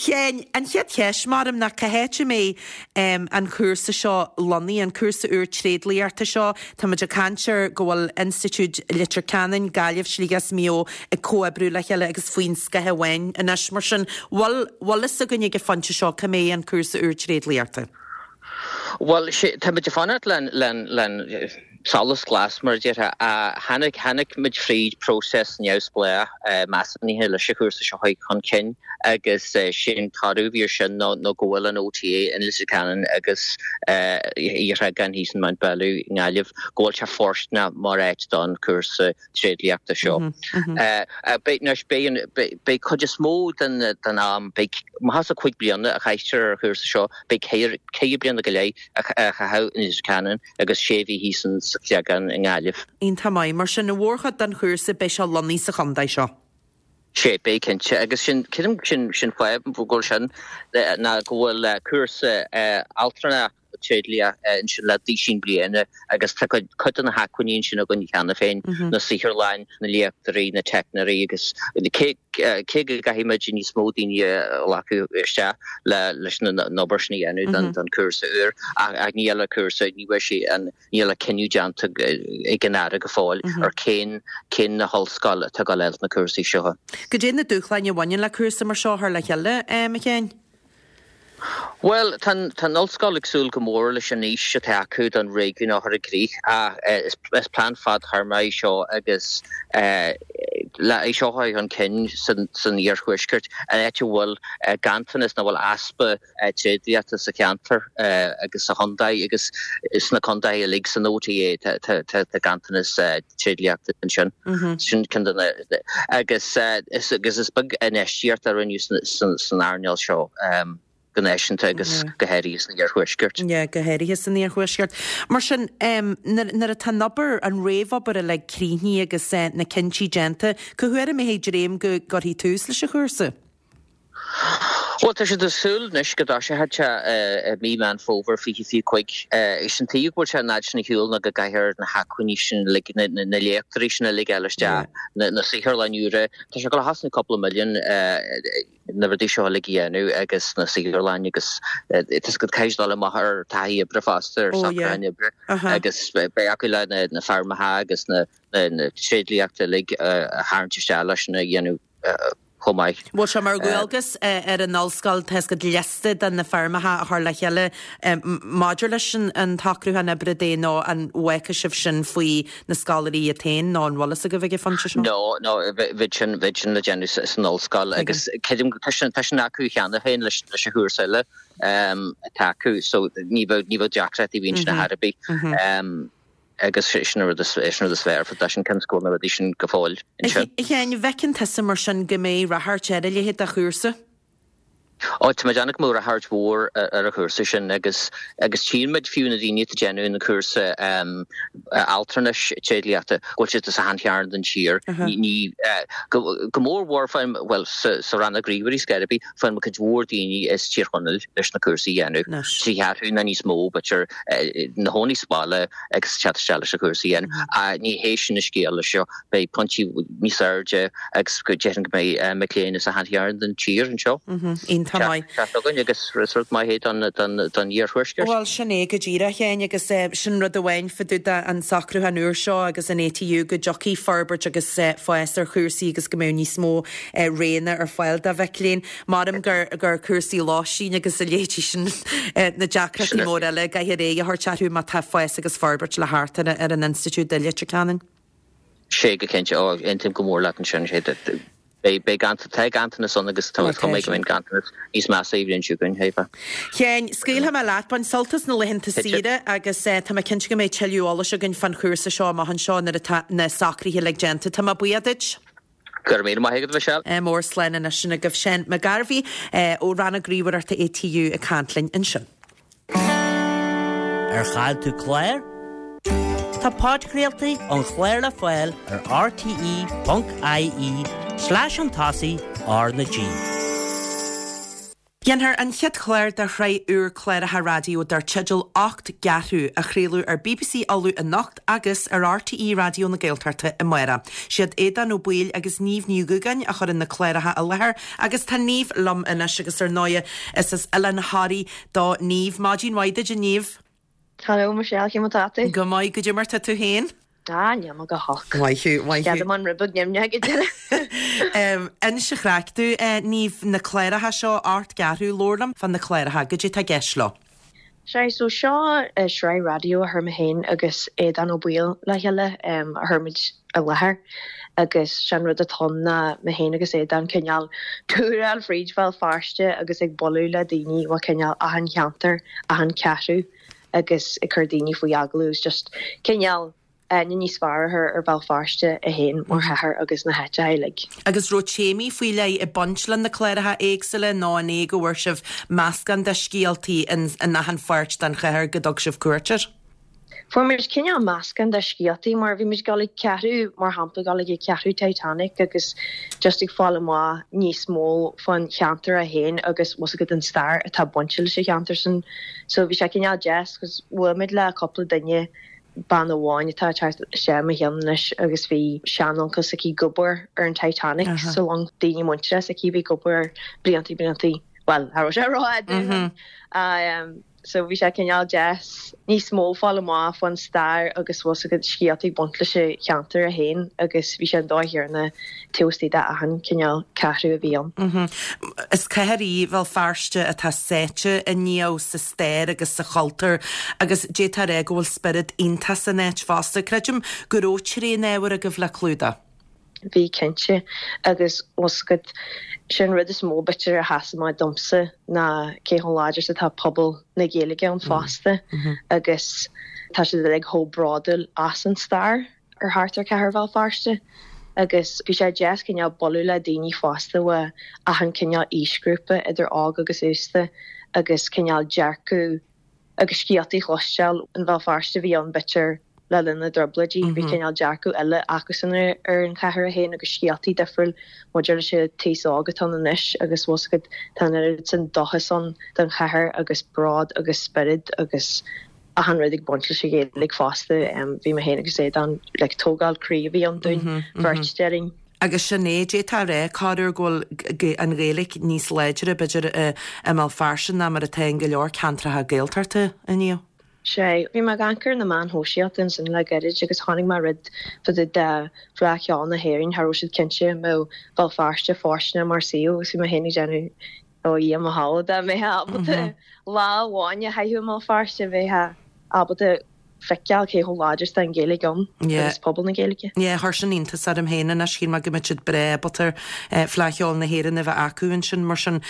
Sheáin, an chéad cheist maram ná cá háit a mbeidh um, an cúrsa seo lonnaithe, an cúrsa úr tréidliachta seo, Táimid ag caint ar go bhfuil Institiúid Leitir Ceanainn, Gaillimh, Sligeach is Maigh Eo ag comhoibriú le chéile agus faoin scáth amháin anois mar sin bhfuil bhfuil fhios againn ag an phointe seo cá mbeidh an cúrsa úr tréidliachta. Well táimid ag fanacht le le le Solas glas mar a déarfá. Tháinig, tháinig muid fríd próiseas neamhspleách measúnaithe leis an chúrsa seo a chur chun cinn agus sé'n toradh a bhí ar sin ná ná go bhfuil an OTA in Leitir Ceanainn agus Sheaghan thíos in Mountbellew i nGaillimh, go bhfuil sé fóirsteanach mar áit don chúrsa tréidliachta seo. Beidh, anois, beidh an, beidh cuid is mó den, den am, beidh, má thá cúig bliana a chaitear ar an chúrsa seo, beidh ceithre, ceithre bliana go leith a chaitheamh in Leitir Ceanainn agus sé mhí thíos in sa Chreagán i nGaillimh. Iontach maith. Mar sin, an mhórchuid den chúrsa, beidh sé lonnaithe sa chontae seo. Sea, beidh cinnte. Agus sin, creidim, sin, sin fáth go bhfuil sin, ná go bhfuil cúrsa altrana tréidlia ansin le duisín bliana agus tá cuid, cuid de na hacmhainní ansin againn cheana féin, na saotharlann, na léachtóirí, na teicneoirí agus cé, cé go gcaithfidh muid níos mó daoine a ghlacadh isteach le, leis an obair sin a dhéanamh don, don chúrsa úr ach, ach níl an cúrsa, ní bheidh sé an, níl an cinneadh déanta ag an Aire go fóill ar cén, cén na hollscoil atá ag dul na cúrsaí seo. Goidé na dúshláin a bhaineann le cúrsa mar seo a chur le chéile, a Sheáin? Bhuel, tá an ollscoil ag súil go mór leis an fhís atá acu don réigiún a chur i gcrích ach is plean fadtéarmach é seo agus le é seo a chur chun cinn san iarthuaisceart, an áit a bhfuil ganntanas nó bhfuil easpa tréidliachta sa cheantar agus sa chontae agus sna contaetha uilig san OTA tá ganntanas tréidliachta ansin. Sin ceann de na agus agus is beag infheistíocht a rinneadh san earnáil seo. go náisiúnta agus go háirithe san iarthuaisceart. Yeah, go háirithe san iarthuaisceart. Mar sin, nuair atá an obair, an réamhobair uilig críochnaithe agus na cinntí déanta, cá huair a mbeidh dréim go gcuirfí tús leis an chúrsa? Bhuel, tá siad ag súil anois go dtoiseoidh sé i mí Meán Fómhair fiche fiche cúig. Is an tuige go bhfuil sé an fhad sin ar shiúl ná go gcaithfear na hacmhainní sin uilig, na léachtóirí sin uilig a fháil isteach, na saotharlanna úra. Tá sé ag dul a chosnú cúpla milliún na rudaí seo uilig a dhéanamh agus na saotharlanna agus tá siad caithfidh dul amach ar taithí oibre fosta, ar socrúcháin oibre agus beidh acu le na feirmeacha agus na tréidliachta uilig a tharraingt isteach leis sin a dhéanamh chomh maith. Bhfuil sé mar dhualgas ar an ollscoil tá a fhios agat liosta de na feirmeacha a chur le chéile maidir leis an tsocrúchán oibre de nó an bhfágfaidh sibh sin faoi na scoláirí iad féin nó an bhfuil fhios agaibh ag an phointe seo? No, no, bheadh sin, bheadh sin le déanamh san ollscoil agus creidim tá sin, tá sin acu cheana féin leis, leis an chúrsa eile atá acu so ní bheadh, ní bheadh deacrachtaí bhíonn sin ar bith. Agus sin an rud is, sin an rud is fearr, tá sin cionn is go bhfuil na rudaí sin go fóill ansin. A Sheáin, an bhfeiceann tusa mar sin go mbeidh ráchairt ar a leithéid de chúrsa? Ó, tá mé ag déanamh go mbeidh ráchairt mhór ar an chúrsa sin agus, agus tchíonn muid fiú na daoine atá ag déanamh an cúrsa altranais tréidliachta go bhfuil siad as achan chearn den tír. Ní, ní, go, go mór mhór faigheann, bhuel, sa, sa rannóg ríomhairí ar scor ar bith, faigheann muid cuid mhór daoine as Tír Chonaill leis na cúrsaí a dhéanamh. Trí cheathrú nó níos mó, b'fhéidir, ina gcónaí sa bhaile agus teacht isteach leis na cúrsaí a dhéanamh. Ach ní hé sin an scéal leis seo. Beidh pointí níos airde agus go déarfainn go mbeidh mic léinn as achan chearn den tír anseo. Iontach maith. Teacht againn agus is rud maith é don don iarthuaisceart. Bhuel, sin é go díreach, a Sheáin, agus sin rud amháin fá dtaobh de an socrúchán úr seo agus an ATU go dtiocfaidh forbairt agus fás ar chúrsaí agus go mbeidh níos mó roghanna ar fáil do mhic léinn. Maram gur gur cúrsaí lóistín agus a leithéidí sin na deacrachtaí móra eile a gcaithfear aghaidh a thabhairt orthu má tá fás agus forbairt le theacht ar ar an institiúid i Leitir Ceanainn. Sé go cinnte, ó, aontaím go mór leat ansin, sé beidh beidh tá ganntanas ann agus tá cuma go mbeidh ganntanas níos measa an bhliain seo chugainn, Eva. Sheáin, scaoilfidh mé leat, bain sult as na laethanta saoire agus tá mé cinnte go mbeidh tuilleadh eolais againn fán chúrsa seo amach anseo nuair atá na socruithe uilig déanta. Tá mé buíoch duit. Go raibh míle maith agat, a Mhichelle. Mór slán anois sin agaibh Seán Mac Gairbhí ó Rannóg Ríomhaireachta ATU ag caint linn ansin. Ar chaill tú clár? Tá podchraoltaí an chláir le fáil ar rte ponc ie slash an tosaigh R na G. Déanfar an chéad chlár de shraith úr cláracha raidió dar teideal Ocht gCeathrú a chraoladh ar bbc Uladh anocht agus ar RTÉ Raidió na Gaeltachta amárach. Siad Aodán Ó Baoill agus Niamh Ní Dhúgáin a chuireann na cláracha i láthair agus tá Niamh liom anois agus ar ndóigh is as Oileán Thoraí do Niamh. Maidin mhaith duit a Niamh. Hello Michelle, cén mar atá tú? Go maith, goidé mar tá tú féin? Ah, níl mé go holc. Maith thú, maith thú. Ceadaim an rud beag nimhneach go deireadh. Inis an chraic domh, Niamh, na cláracha seo, Ocht gCeathrú, labhair liom fá na cláracha, goidé tá i gceist leo? Sea, so seo sraith raidió a chuir mé féin agus Aodán Ó Baoill le chéile a chuir muid i láthair agus sé'n rud atá ann ná mé féin agus Aodán cineál túráil fríd Bhéal Feirste agus ag bualadh le daoine ó cineál achan cheantar, achan cheathrú agus ag cur daoine faoi agallamh is just cineál aithne níos fearr a chur ar Bhéal Feirste é féin mar chathair agus na háiteacha uilig. Agus raibh téamaí faoi leith ag baint le na cláracha éagsúla nó an é go bhfuair sibh meascán de scéaltaí in in achan pháirt den chathair go dtug sibh cuairt air? Fuair muid cineál meascán de scéaltaí mar bhí muid ag dul ag ceathrú mar shampla ag dul ag ceathrú Titanic agus just ag fáil amach níos mó fán cheantar é féin agus bhfuil fhios agat an stair atá bainte leis an cheantar sin. So bhí sé cineál deas 'cause bhuail muid le cúpla duine bean amháin atá ag teacht isteach i mo cheann anois agus bhí seanuncail s'aici ag obair ar an Titanic sa long, daoine muinteartha s'aici a bhí ag obair bliantaí bliantaí, bhuel, cha raibh sé rófhada ó shin. So bhí sé cineál deas níos mó fáil amach fán stair agus bhfuil fhios agat scéalta ag baint leis an cheantar é féin agus bhí sé an dóigh chéanna taobh istigh de achan cineál ceathrú a bhí ann. Is cathair í Bhéal Feirste atá sáite inniu sa stair agus sa chultúr agus d'fhéadfá a rá go bhfuil spiorad iontach san áit fosta. Creidim go raibh tréan-ábhar agaibh le clúdach. Bhí cinnte agus bhfuil fhios agat sin rud is mó b'fhéidir a sheas amach domsa ná cé chomh láidir is atá pobal na Gaeilge ann fosta agus tá siad uilig chomh bródúil as an stair ar thart ar chathair Bhéal Feirste. Agus bhí sé deas cineál bualadh le daoine fosta ó achan cineál aoisghrúpa idir óg agus aosta agus cineál dearcadh agus scéaltaí a chloisteáil an Bhéal Feirste a bhí ann b'fhéidir le linn na dTrioblóidí. Bhí cineál dearcadh eile acusan ar an chathair é féin agus scéaltaí difriúil maidir leis an t-aos óg atá ann anois agus bhfuil fhios agat tá an oiread sin dóchas ann don chathair agus bród agus spiorad agus achan rud ag baint leis an Ghaeilge fosta. Bhí mé féin agus Aodán like tógáil croí a bhí ann dúinn beirt déarfainn. Agus sin é, d'fhéadfá a rá corruair go bhfuil an Ghaeilge níos láidre b'fhéidir i mBéal Feirste ná mar atá in go leor ceantracha Gaeltachta inniu. Sea, bhí mé ag amharc ar na meáin shóisialta ansin le gairid agus chonaic mé rud fá dtaobh de Fhleadh Cheoil na hÉireann, cha raibh siad cinnte an mbeadh Béal Feirste fóirsteanach mar suíomh agus bhí mé féin ag déanamh ó Dhia mo shábháil dá mbeifeá ábalta lá amháin a chaitheamh i mBéal Feirste bheifeá ábalta feiceáil cé chomh láidir is atá an Ghaeilge ann agus pobal na Gaeilge. Yeah, chuir sin iontas orm féin anois, shíl mé go mbeadh siad breá ábalta Fleadh Cheoil na hÉireann a bheith acu ansin mar sin.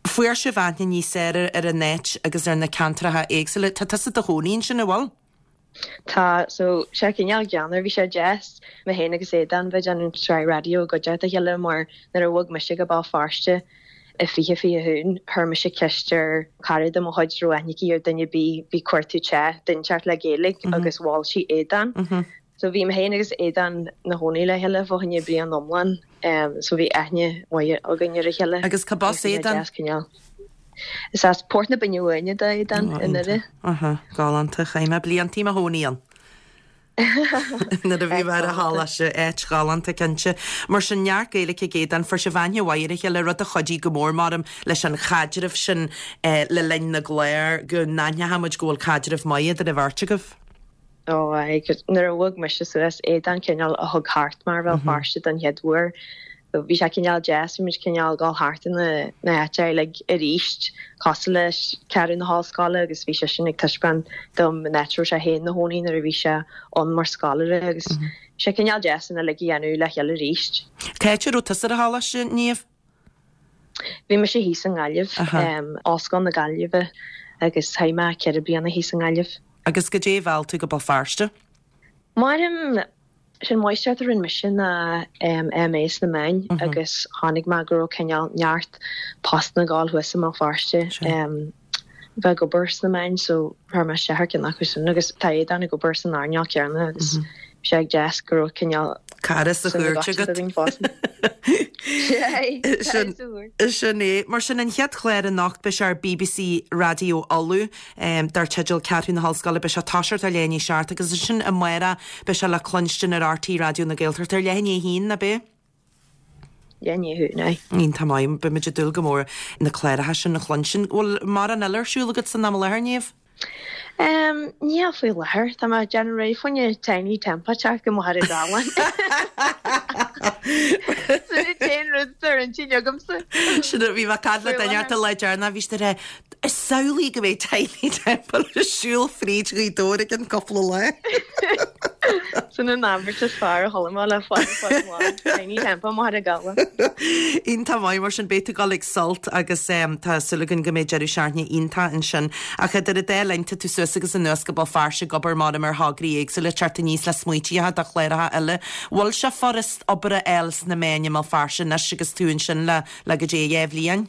Fuair sibh aithne níos fearr ar an áit agus ar na ceantracha éagsúla. Tá tusa i do chónaí ansin, an bhfuil? Tá, so sé cineál geanmar, bhí sé deas mé féin agus Aodán bheith déanamh sraith raidió i gcuideachta a chéile mar nuair a bhog mise go Béal Feirste i fiche fiche haon chuir mise ceist ar chara de mo chuid raibh aithne aici ar duine ar bith bhí ag cuartú teach, duine inteacht le Gaeilge agus mhol sí Aodán. So bhí mé féin agus Aodán 'na chónaí le chéile fá choinne bliain iomlán so bhí aithne mhaith againn ar a chéile. Agus cad as Aodán? Deas cineál. Is as Port na Binne Bháine do Aodán i nDoire. Aha, galánta, chaith mé blianta i mo chónaí ann. Nuair a bhí mé ar an choláiste, áit ghalánta cinnte. Mar sin neart Gaeilge ag Aodán, fuair sibh aithne mhaith ar a chéile, rud a chuidigh go mór maram leis an chaidreamh sin le linn na gclár, go n-aithneoidh muid go bhfuil caidreamh maith idir an bheirt agaibh. Ó aye, nuair a bhog mise suas, Aodán cineál a thug thart mé ar Bhéal Feirste don chéad uair. Bhí sé cineál deas, bhí muid cineál ag dul thart in na na háite uilig arís, cosúil leis Ceathrú na hOllscoile agus bhí seisean ag taispeáint dom an áit a raibh sé féin 'na chónaí nuair a bhí sé ann mar scoláire agus bhí sé cineál deas an uilig a dhéanamh le chéile arís. Cá háit a raibh tusa ar an choláiste, Niamh? Bhí mise thíos i nGaillimh, Ollscoil na Gaillimhe agus chaith mé ceithre bliana thíos i nGaillimh. Agus goidé a mheall tú go Béal Feirste? Maram sin máistreacht a rinne mise ná MA sna meáin agus chonaic mé go raibh cineál neart postanna ag gabháil thuas i mBéal Feirste bheith ag obair sna meáin so chuir mé isteach ar ceann acu sin agus tá Aodán ag obair san earnáil céanna agus bhí sé deas go raibh cineál Cara sa chúirt agat. Sin é. Mar sin an chéad chlár anocht beidh sé ar BBC Raidió Uladh dar teideal Ceathrú na hOllscoile beidh sé ag toiseacht ar leath i ndiaidh a seacht agus ansin amárach beidh sé le cluinstin ar RTÉ Raidió na Gaeltachta ar leath i ndiaidh a haon, ab é? Leath i ndiaidh a haon, aye. Iontach maith, beidh muid ag dúil go mór na cláracha sin a chluinstin. Bhfuil mórán eile ar siúl agat san am i láthair, Niamh? Um, níl faoi láthair, Tá mé ag déanamh réidh fá choinne Tinie Tempah teacht go Machaire Rabhláin. Sin an t-aon rud atá ar intinn agamsa. Sin bhí mé ag caint le duine an lá deireanach bhí siad ag rá Samhlaigh go mbeidh Tinie Tempah ag siúl fríd Ghaoth Dobhair i gcionn cúpla lá. Sin an abairt is fearr a chuala mé le fada fada an lá. Tinie Tempah i mBaile Gabhla. Iontach maith mar sin beidh tú ag dul ag sult agus tá súil againn go mbeidh deireadh seachtaine iontach ansin. Ach idir an dá linn tá tú suas agus anuas go Béal Feirste ag obair mar ar thograí éagsúla teacht aníos le smaoitíocha do chláracha eile. Bhfuil sé furast obair a fháil sna meáin i mBéal Feirste anois agus tú ansin le le go dtí dhá bhliain?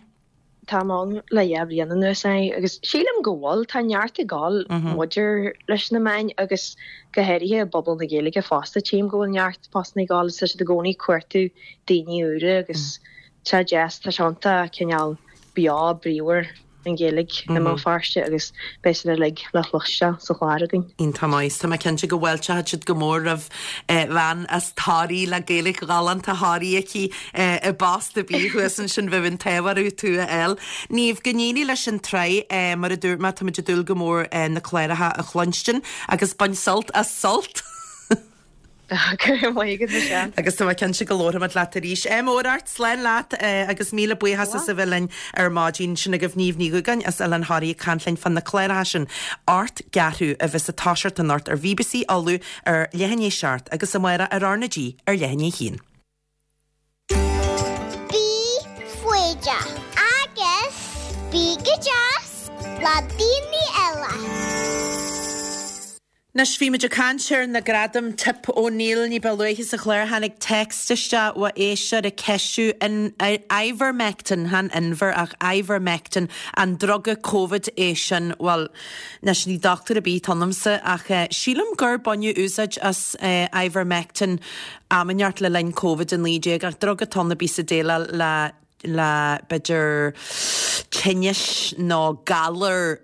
Táim ann le dhá bhliain anuas é agus sílim go bhfuil, tá neart ag dul maidir leis na meáin agus go háirithe i bpobal na Gaeilge fosta, tchím go bhfuil neart postanna ag dul agus tá siad i gcónaí ag cuartú daoine úra agus tá deas, tá sé iontach cineál beo bríomhar an Ghaeilge i mBéal Feirste agus beidh sin uilig le cloisteáil sa chlár againn. Iontach maith. Tá mé cinnte go bhfáilteoidh siad go mór roimh bhean as Toraigh le Gaeilge ghalánta Thoraí aici i bpost ar bith thuas ansin bheadh an t-ádh orthu tú a fháil. Niamh, go n-éirí leis an tsraith. Mar a dúirt mé, táimid ag dúil go mór na cláracha a chluinstin agus bain sult as sult! Go raibh maith agat, Michelle. Agus tá mé cinnte go labharfaimid leat arís. Ádh mór ort, slán leat agus míle buíochas as a bheith linn ar maidin. Sin agaibh Niamh Ní Dhúgáin as Oileán Thoraí ag caint linn fá na cláracha sin, Ocht gCeathrú a bheas ag toiseacht anocht ar BBC Uladh ar leath i ndiaidh a seacht agus amárach ar R na G ar leath i ndiaidh a haon. Bí foighdeach agus bí go deas le daoine eile. Anois bhí muid ag caint ar na gradaim Tip O'Neill ní ba luaithe sa chlár tháinig text isteach ó éisteoir ag ceistiú in Ivermectin, chan Inver ach Ivermectin, an druga Covid é sin. Bhuel, anois ní dochtúir ar bith atá ionamsa ach sílim gur baineadh úsáid as Ivermectin am inteacht le linn Covid a naoi déag ach druga atá ann a bhíos ag déileáil le le b'fhéidir tinnis nó galar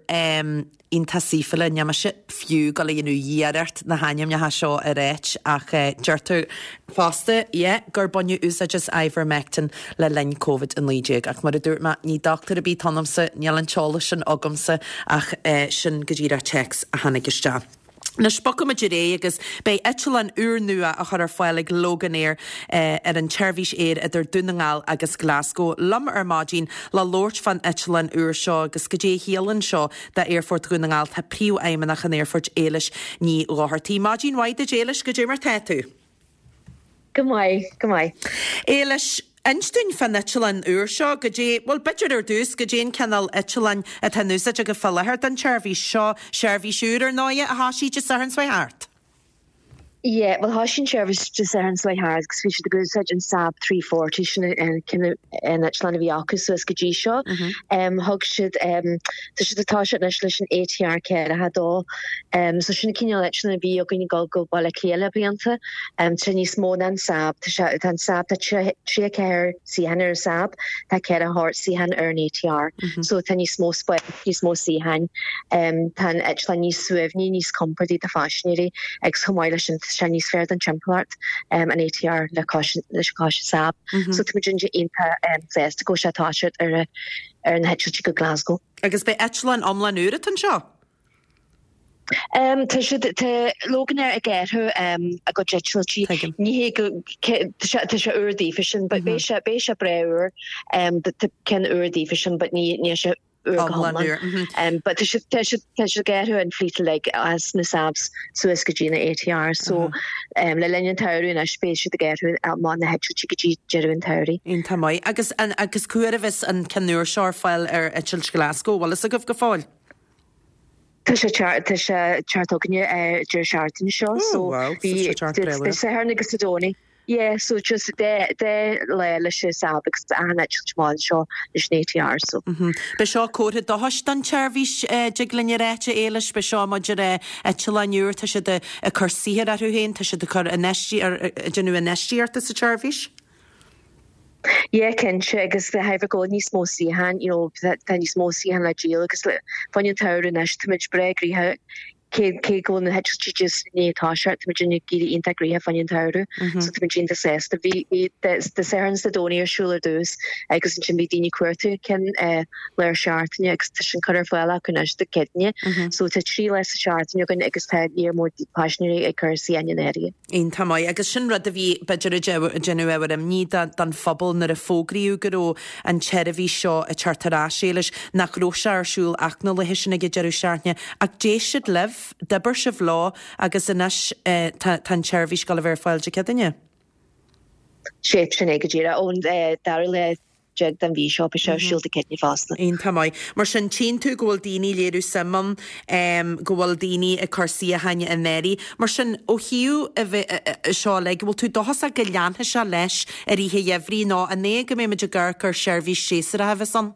iontach saoithiúla. Níl mise fiú ag dul a dhéanamh iarracht na hainmneacha seo a ráit ach deirtear fosta, yeah, gur baineadh úsáid as Ivermectin le linn Covid a naoi déag. Ach mar a dúirt mé, ní dochtúir ar bith atá ionamsa, níl an t-eolas sin agamsa ach sin go díreach téacs a tháinig isteach. Anois bogfaimid ar aghaidh agus beidh eitleán úrnua á chur ar fáil ag Loganair ar an tseirbhís aeir idir Dún na nGall agus Glasgow. Liom ar maidin le labhairt fán eitleán úr seo agus goidé a chiallaíonn seo d'Aerfort Dhún na nGall tá Príomhfheidhmeannach an Aerfoirt Éilis Ní Dhochartaigh. Maidin mhaith duit Éilis, goidé mar tá tú? Go maith, go maith. Éilis, inis dúinn fán eitleán úr seo, goidé, bhuel b'fhéidir ar dtús, goidé an cineál eitleáin atá in úsáid agaibh fá láthair don tseirbhís seo, seirbhís úr ar ndóighe a thosaigh Dé Sathairn seo thart? Yeah, bhuel thosaigh an tseirbhís Dé Sathairn seo thart agus bhí siad ag úsáid an Saab three forty sin an cineál an eitleán a bhí acu suas go dtí seo. Thug siad, tá siad ag toiseacht anois leis an ATR ceathracha a dó. So sin an cineál eitleán a bhí againn ag dul go Baile Átha Cliath le blianta. Tá sé níos mó ná an Saab. Tá sé, tá an Saab, tá tríocha ceathair suíochán ar an Saab, tá ceathracha hocht suíochán ar an ATR. So tá níos mó spáis, níos mó suíocháin. Tá an eitleán níos suaimhní, níos compordaí do phaisinéirí agus chomh maith leis sin tá sé níos fearr don timpeallacht, an ATR le cois leis an cois Saab. So tá muid iontach sásta go bhfuil sé ag toiseacht ar ar na heitiltí go Glasgow. Agus beidh eitleán iomlán úr atá anseo? Tá siad, tá Loganair ag athrú a gcuid eitiltí. Ní hé go, tá sé, tá sé úr daofa sin, but beidh sé, beidh sé breá úr. Tá ceann úr daofa sin, but ní, níl sé úr go hiomlán. But tá siad, tá siad, tá siad ag athrú an fleet uilig as na Saabs suas go dtí na ATRs. So le linn an tsamhraidh anois beidh siad ag athrú amach na heitiltí go dtí deireadh an tsamhraidh. Iontach maith. Agus an, agus cá huair a bheas an ceann úr seo ar fáil ar eitilt Glasgow, bhfuil fhios agaibh go fóill? Tá sé tá sé teacht chugainne ar deireadh seachtaine seo so bhí Dé Sathairn agus Dé Domhnaigh. Yeah, so just dá dá lá leis an Saab agus achan eitilt amháin seo leis an ATR so. Beidh seo comhartha dóchais don tseirbhís dtig linn a ráit a Éilis, beidh seo maidir le eitleáin úr, tá siad ag cur saothair orthu féin, tá siad ag cur ag déanamh infheistíochta sa tseirbhís. Yeah cinnte agus de thairbhe go bhfuil níos mó suíochán you know tá níos mó suíochán le díol agus le fá choinne an tsamhraidh anois táimid breá gnoitheach cé cé go bhfuil na heitiltí just i ndiaidh toiseacht, tá muid ag éirí iontach gnoitheach fá choinne an tsamhradh so tá muid iontach sásta. Bhí bhí Dé Sathairn is Dé Domhnaigh ar siúl ar dtús agus ansin bhí daoine ag cuartú cinn lár seachtaine agus tá sin curtha ar fáil acu anois Dé Céadaoine. So tá trí lá sa seachtain againn agus tá léar mór paisinéirí ag cur suíocháin in áirithe. Iontach maith. Agus sin rud a bhí b'fhéidir ag déanamh ábhar imní don phobal nuair a fógraíodh go raibh an tseirbhís seo ag teacht ar ais, Éilis, nach raibh sé ar siúl ach na laetha sin ag an deireadh seachtaine. Ach d'éist siad libh, d'oibir sibh leo agus anois tá an tseirbhís ag dul a bheith ar fáil Dé Céadaoine. Sea, sin é go díreach. Ón dara lá déag den mhí seo, beidh sé ar siúl Dé Céadaoine fosta. Iontach maith. Mar sin, tchíonn tú go bhfuil daoine ag léiriú suim ann, go bhfuil daoine ag cur suíocháin in áirithe. Mar sin, ó thaobh seo uilig, bhfuil tú dóchasach go leanfaidh sé leis i rith an gheimhridh nó an é go mbeidh muid ag amharc ar sheirbhís séasúrach a bheas ann?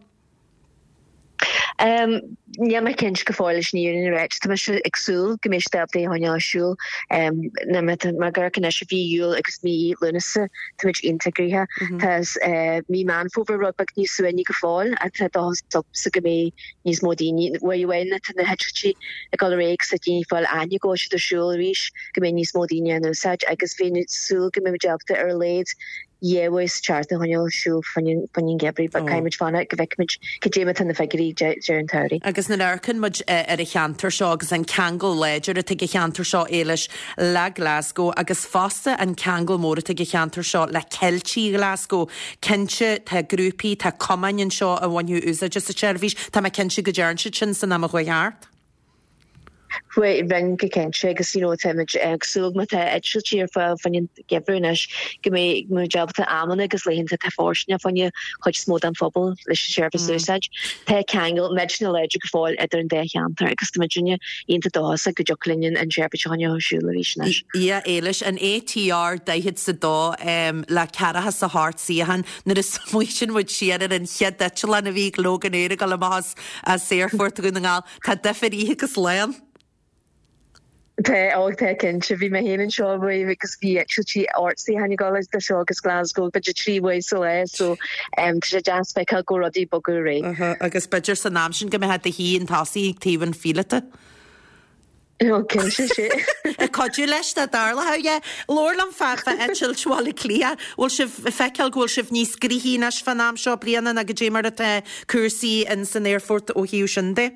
Níl mé cinnte go fóill leis an fhírinne a ráit. Tá mise ag súil go mbeidh siad ábalta é a choinneáil ar siúl. Mar ag amharc anois i mhí Iúil agus mí Lúnasa, táimid iontach gnoitheach. Tá mí Meán Fómhair rud beag níos suaimhní go fóill ach tá dóchas agamsa go mbeidh níos mó daoine, uair amháin atá na heitiltí ag dul ar aghaidh agus tá daoine ag fáil aithne go bhfuil siad ar siúl arís, go mbeidh níos mó daoine á n-úsáid agus bheinn ag súil go mbeidh muid ábalta ar a laghad dhá uair sa tseachtain a choinneáil ar siúl fá choinne an gheimhridh but caithfidh muid fanacht go bhfeicfimid cad é mar atá na figiúirí ag deireadh an tsamhraidh. Agus nuair a amharcann muid ar an cheantar seo agus an ceangal láidir atá ag an cheantar seo, Éilis, le Glasgow agus fosta an ceangal mór atá ag an cheantar seo le Ceiltigh Ghlasgow, cinnte tá grúpaí, tá cumainn anseo a bhainfeadh úsáid as an tseirbhís, tá mé cinnte go dtearn siad sin san am a chuaigh thart. Rinne go cinnte agus you know táimid ag súil má tá eitiltí ar fáil fá choinne an gheimhridh anois go mbeidh muid ábalta amanna agus laethanta atá fóirsteanach fá choinne chuid is mó den phobal leis an seirbhís a úsáid. Tá ceangal millteanach láidir go fóill idir an dá cheantar agus tá muidinne iontach dóchasach go dtiocfaidh linn an tseirbhís a choinneáil ar siúl arís anois. Yeah, Éilis, an ATR daichead is a dó le ceathracha is a hocht suíochán nuair a smaoitíonn muid siar ar an chéad eitleán a bhí ag Loganair ag dul amach as as Aerfort Dhún na nGall, tá difear oíche agus lae ann. Tá, ó tá cinnte, bhí mé féin anseo roimh agus bhí eitiltí ocht suíochán ag dul idir seo agus Glasgow b'fhéidir trí uair sa lá so tá sé deas feiceáil go bhfuil rudaí ag bogadh ar aghaidh. Agus b'fhéidir san am sin go mbeifeá i do shuí chun tosaigh ag taobh an phíolóta. Ó cinnte sé. Ag cuidiú leis dá dtarlódh, yeah. Labhair liom fá fá eitilt Bhaile Átha Cliath. Bhfuil sibh ag feiceáil go bhfuil sibh níos gnoithí anois fán am seo bliana ná goidé mar atá cúrsaí in san aerfort ó thaobh sin de?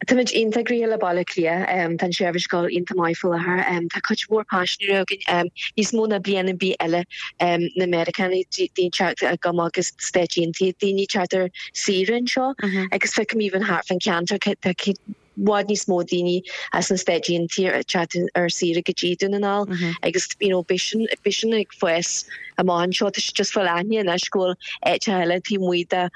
Táimid iontach gnoitheach le Baile Átha Cliath. Tá an tseirbhís ag dul iontach maith faoi láthair. Tá cuid mhór paisinéirí againn, níos mó ná bliain ar bith eile. Na Meiriceánaigh, daoine ag teacht go maith agus Stáit Aontaithe, daoine ag teacht ar saoire anseo agus feicim even thart fán cheantar tá i bhfad níos mó daoine as na Stáit Aontaithe ag teacht ar saoire go dtí Dún na nGall agus you know beidh sin beidh sin ag fás amach anseo. Tá sé just fáil aithne anois go bhfuil áiteacha eile taobh amuigh de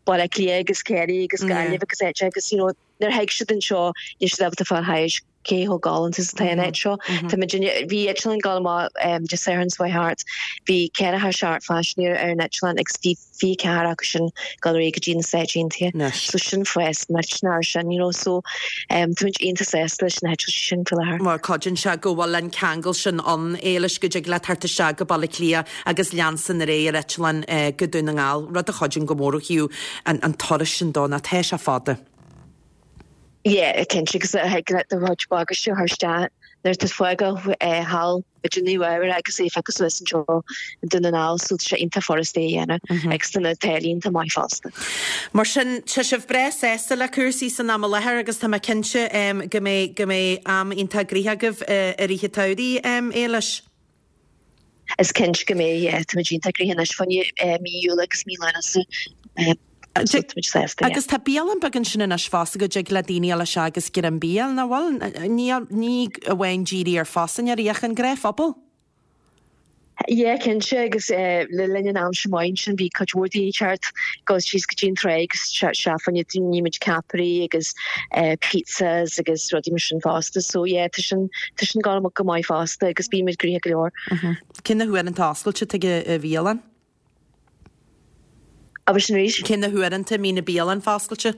Baile Átha Cliath agus Ciarraí agus Gaillimh agus áiteacha agus you know nuair a thig siad anseo níl siad ábalta fáil thairis cé chomh galánta is atá an áit seo. Tá muid bhí eitleán ag dul amach Dé Sathairn seo chuaigh thart, bhí ceathracha seacht phaisinéir ar an eitleán agus bhí fiche ceathair acu sin ag dul ar aghaidh go dtí na Stáit Aontaithe. So sin fás millteanach ar sin, you know, so táimid iontach sásta leis na heitiltí sin faoi láthair. Mar cuidíonn sé go bhfuil an ceangal sin ann, Éilis, go dtig leat theacht isteach go Baile Átha Cliath agus leanstan ar aghaidh ar eitleán go Dún na nGall, rud a chuidíonn go mór ó thaobh an turais sin dó, nó tá sé fada. Yeah, cinnte, agus thig leat do chuid bagáiste a chur isteach nuair atá tú ag fágáil thall b'fhéidir i Nua Eabhrac agus é a phiocadh suas anseo i nDún na nGall so tá sé iontach furasta é a dhéanamh agus tá na táillí iontach maith fosta. Mar sin, tá sibh breá sásta le cúrsaí san am i láthair agus tá mé cinnte go mbeidh go mbeidh am iontach gnoitheach agaibh i rith an tsamhraidh, Éilis. Is cinnte go mbeidh, yeah. Táimid iontach gnoitheach anois fá choinne mí Iúil agus mí Lúnasa. So táimid sásta, yeah. Agus tá bialann beag ansin anois fosta go dtig le daoine a dhul isteach agus greim bia, nach bhfuil? Ní ní amháin díriú ar phaisinéirí ach an gnáthphobal. Yeah, cinnte, agus le linn an aimsir maith ansin bhí cuid mhór daoine ag teacht dul síos go dtí an trá agus isteach fá choinne ní muid ceapairí agus pizzas agus rudaí mar sin fosta. So yeah, tá sin tá sin ag dul go maith fosta agus bíonn muid gnoitheach go leor. Cé na huaireanta oscailte atá ag an bhialann? Abair sin arís? Cé na huaireanta a mbíonn an bialann foscailte?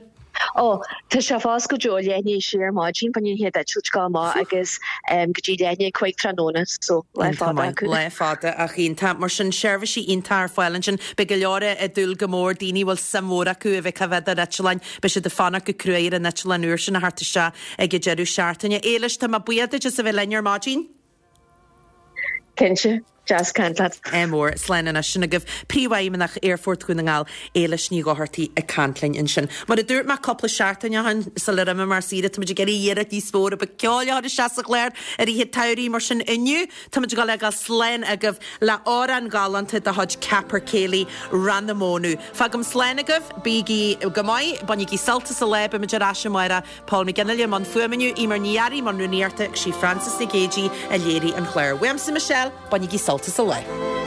Ó, tá sé foscailte ó leath i ndiaidh a sé ar maidin, fá choinne an chéad eitilt ag dul amach agus go dtí leath i ndiaidh a cúig tráthnóna, so lá fada acu. Lá fada ach iontach. Mar sin, seirbhísí iontach ar fáil ansin. Beidh go leor ag dúil go mór, daoine a bhfuil suim mhór acu a bheith ag bheith ar eitleáin, beidh siad ag fanacht go cruaidh ar an eitleán úr sin a theacht isteach ag an deireadh seachtaine. Éilis, tá mé buíoch duit as a bheith linn ar maidin. Cinnte. Deas caint leat. Ádh mór. Slán anois. Sin agaibh Príomhfheidhmeannach Aerfort Dhún na nGall, Éilis Ní Dhochartaigh ag caint linn ansin. Mar a dúirt mé cúpla seachtain ó shin sular imigh mé ar saoire, táimid ag iarraidh iarracht níos mó a bheith ceoil a chur isteach sa chlár i rith an tsamhraidh. Mar sin inniu táimid ag dul a fhágáil slán agaibh le amhrán galánta de chuid Capercaillie, Rann na Mónadh. Fágaim slán agaibh, bígí go maith, bainigí sult as an lá, beimid ar ais amárach. Paul McGinley i mbun fuaime inniu, Eimear Ní Fhearraigh i mbun rúnaíochta agus sí Frances Nic Géadaigh a léirigh an clár. Uaimse Michelle, bainigí sult as an lá.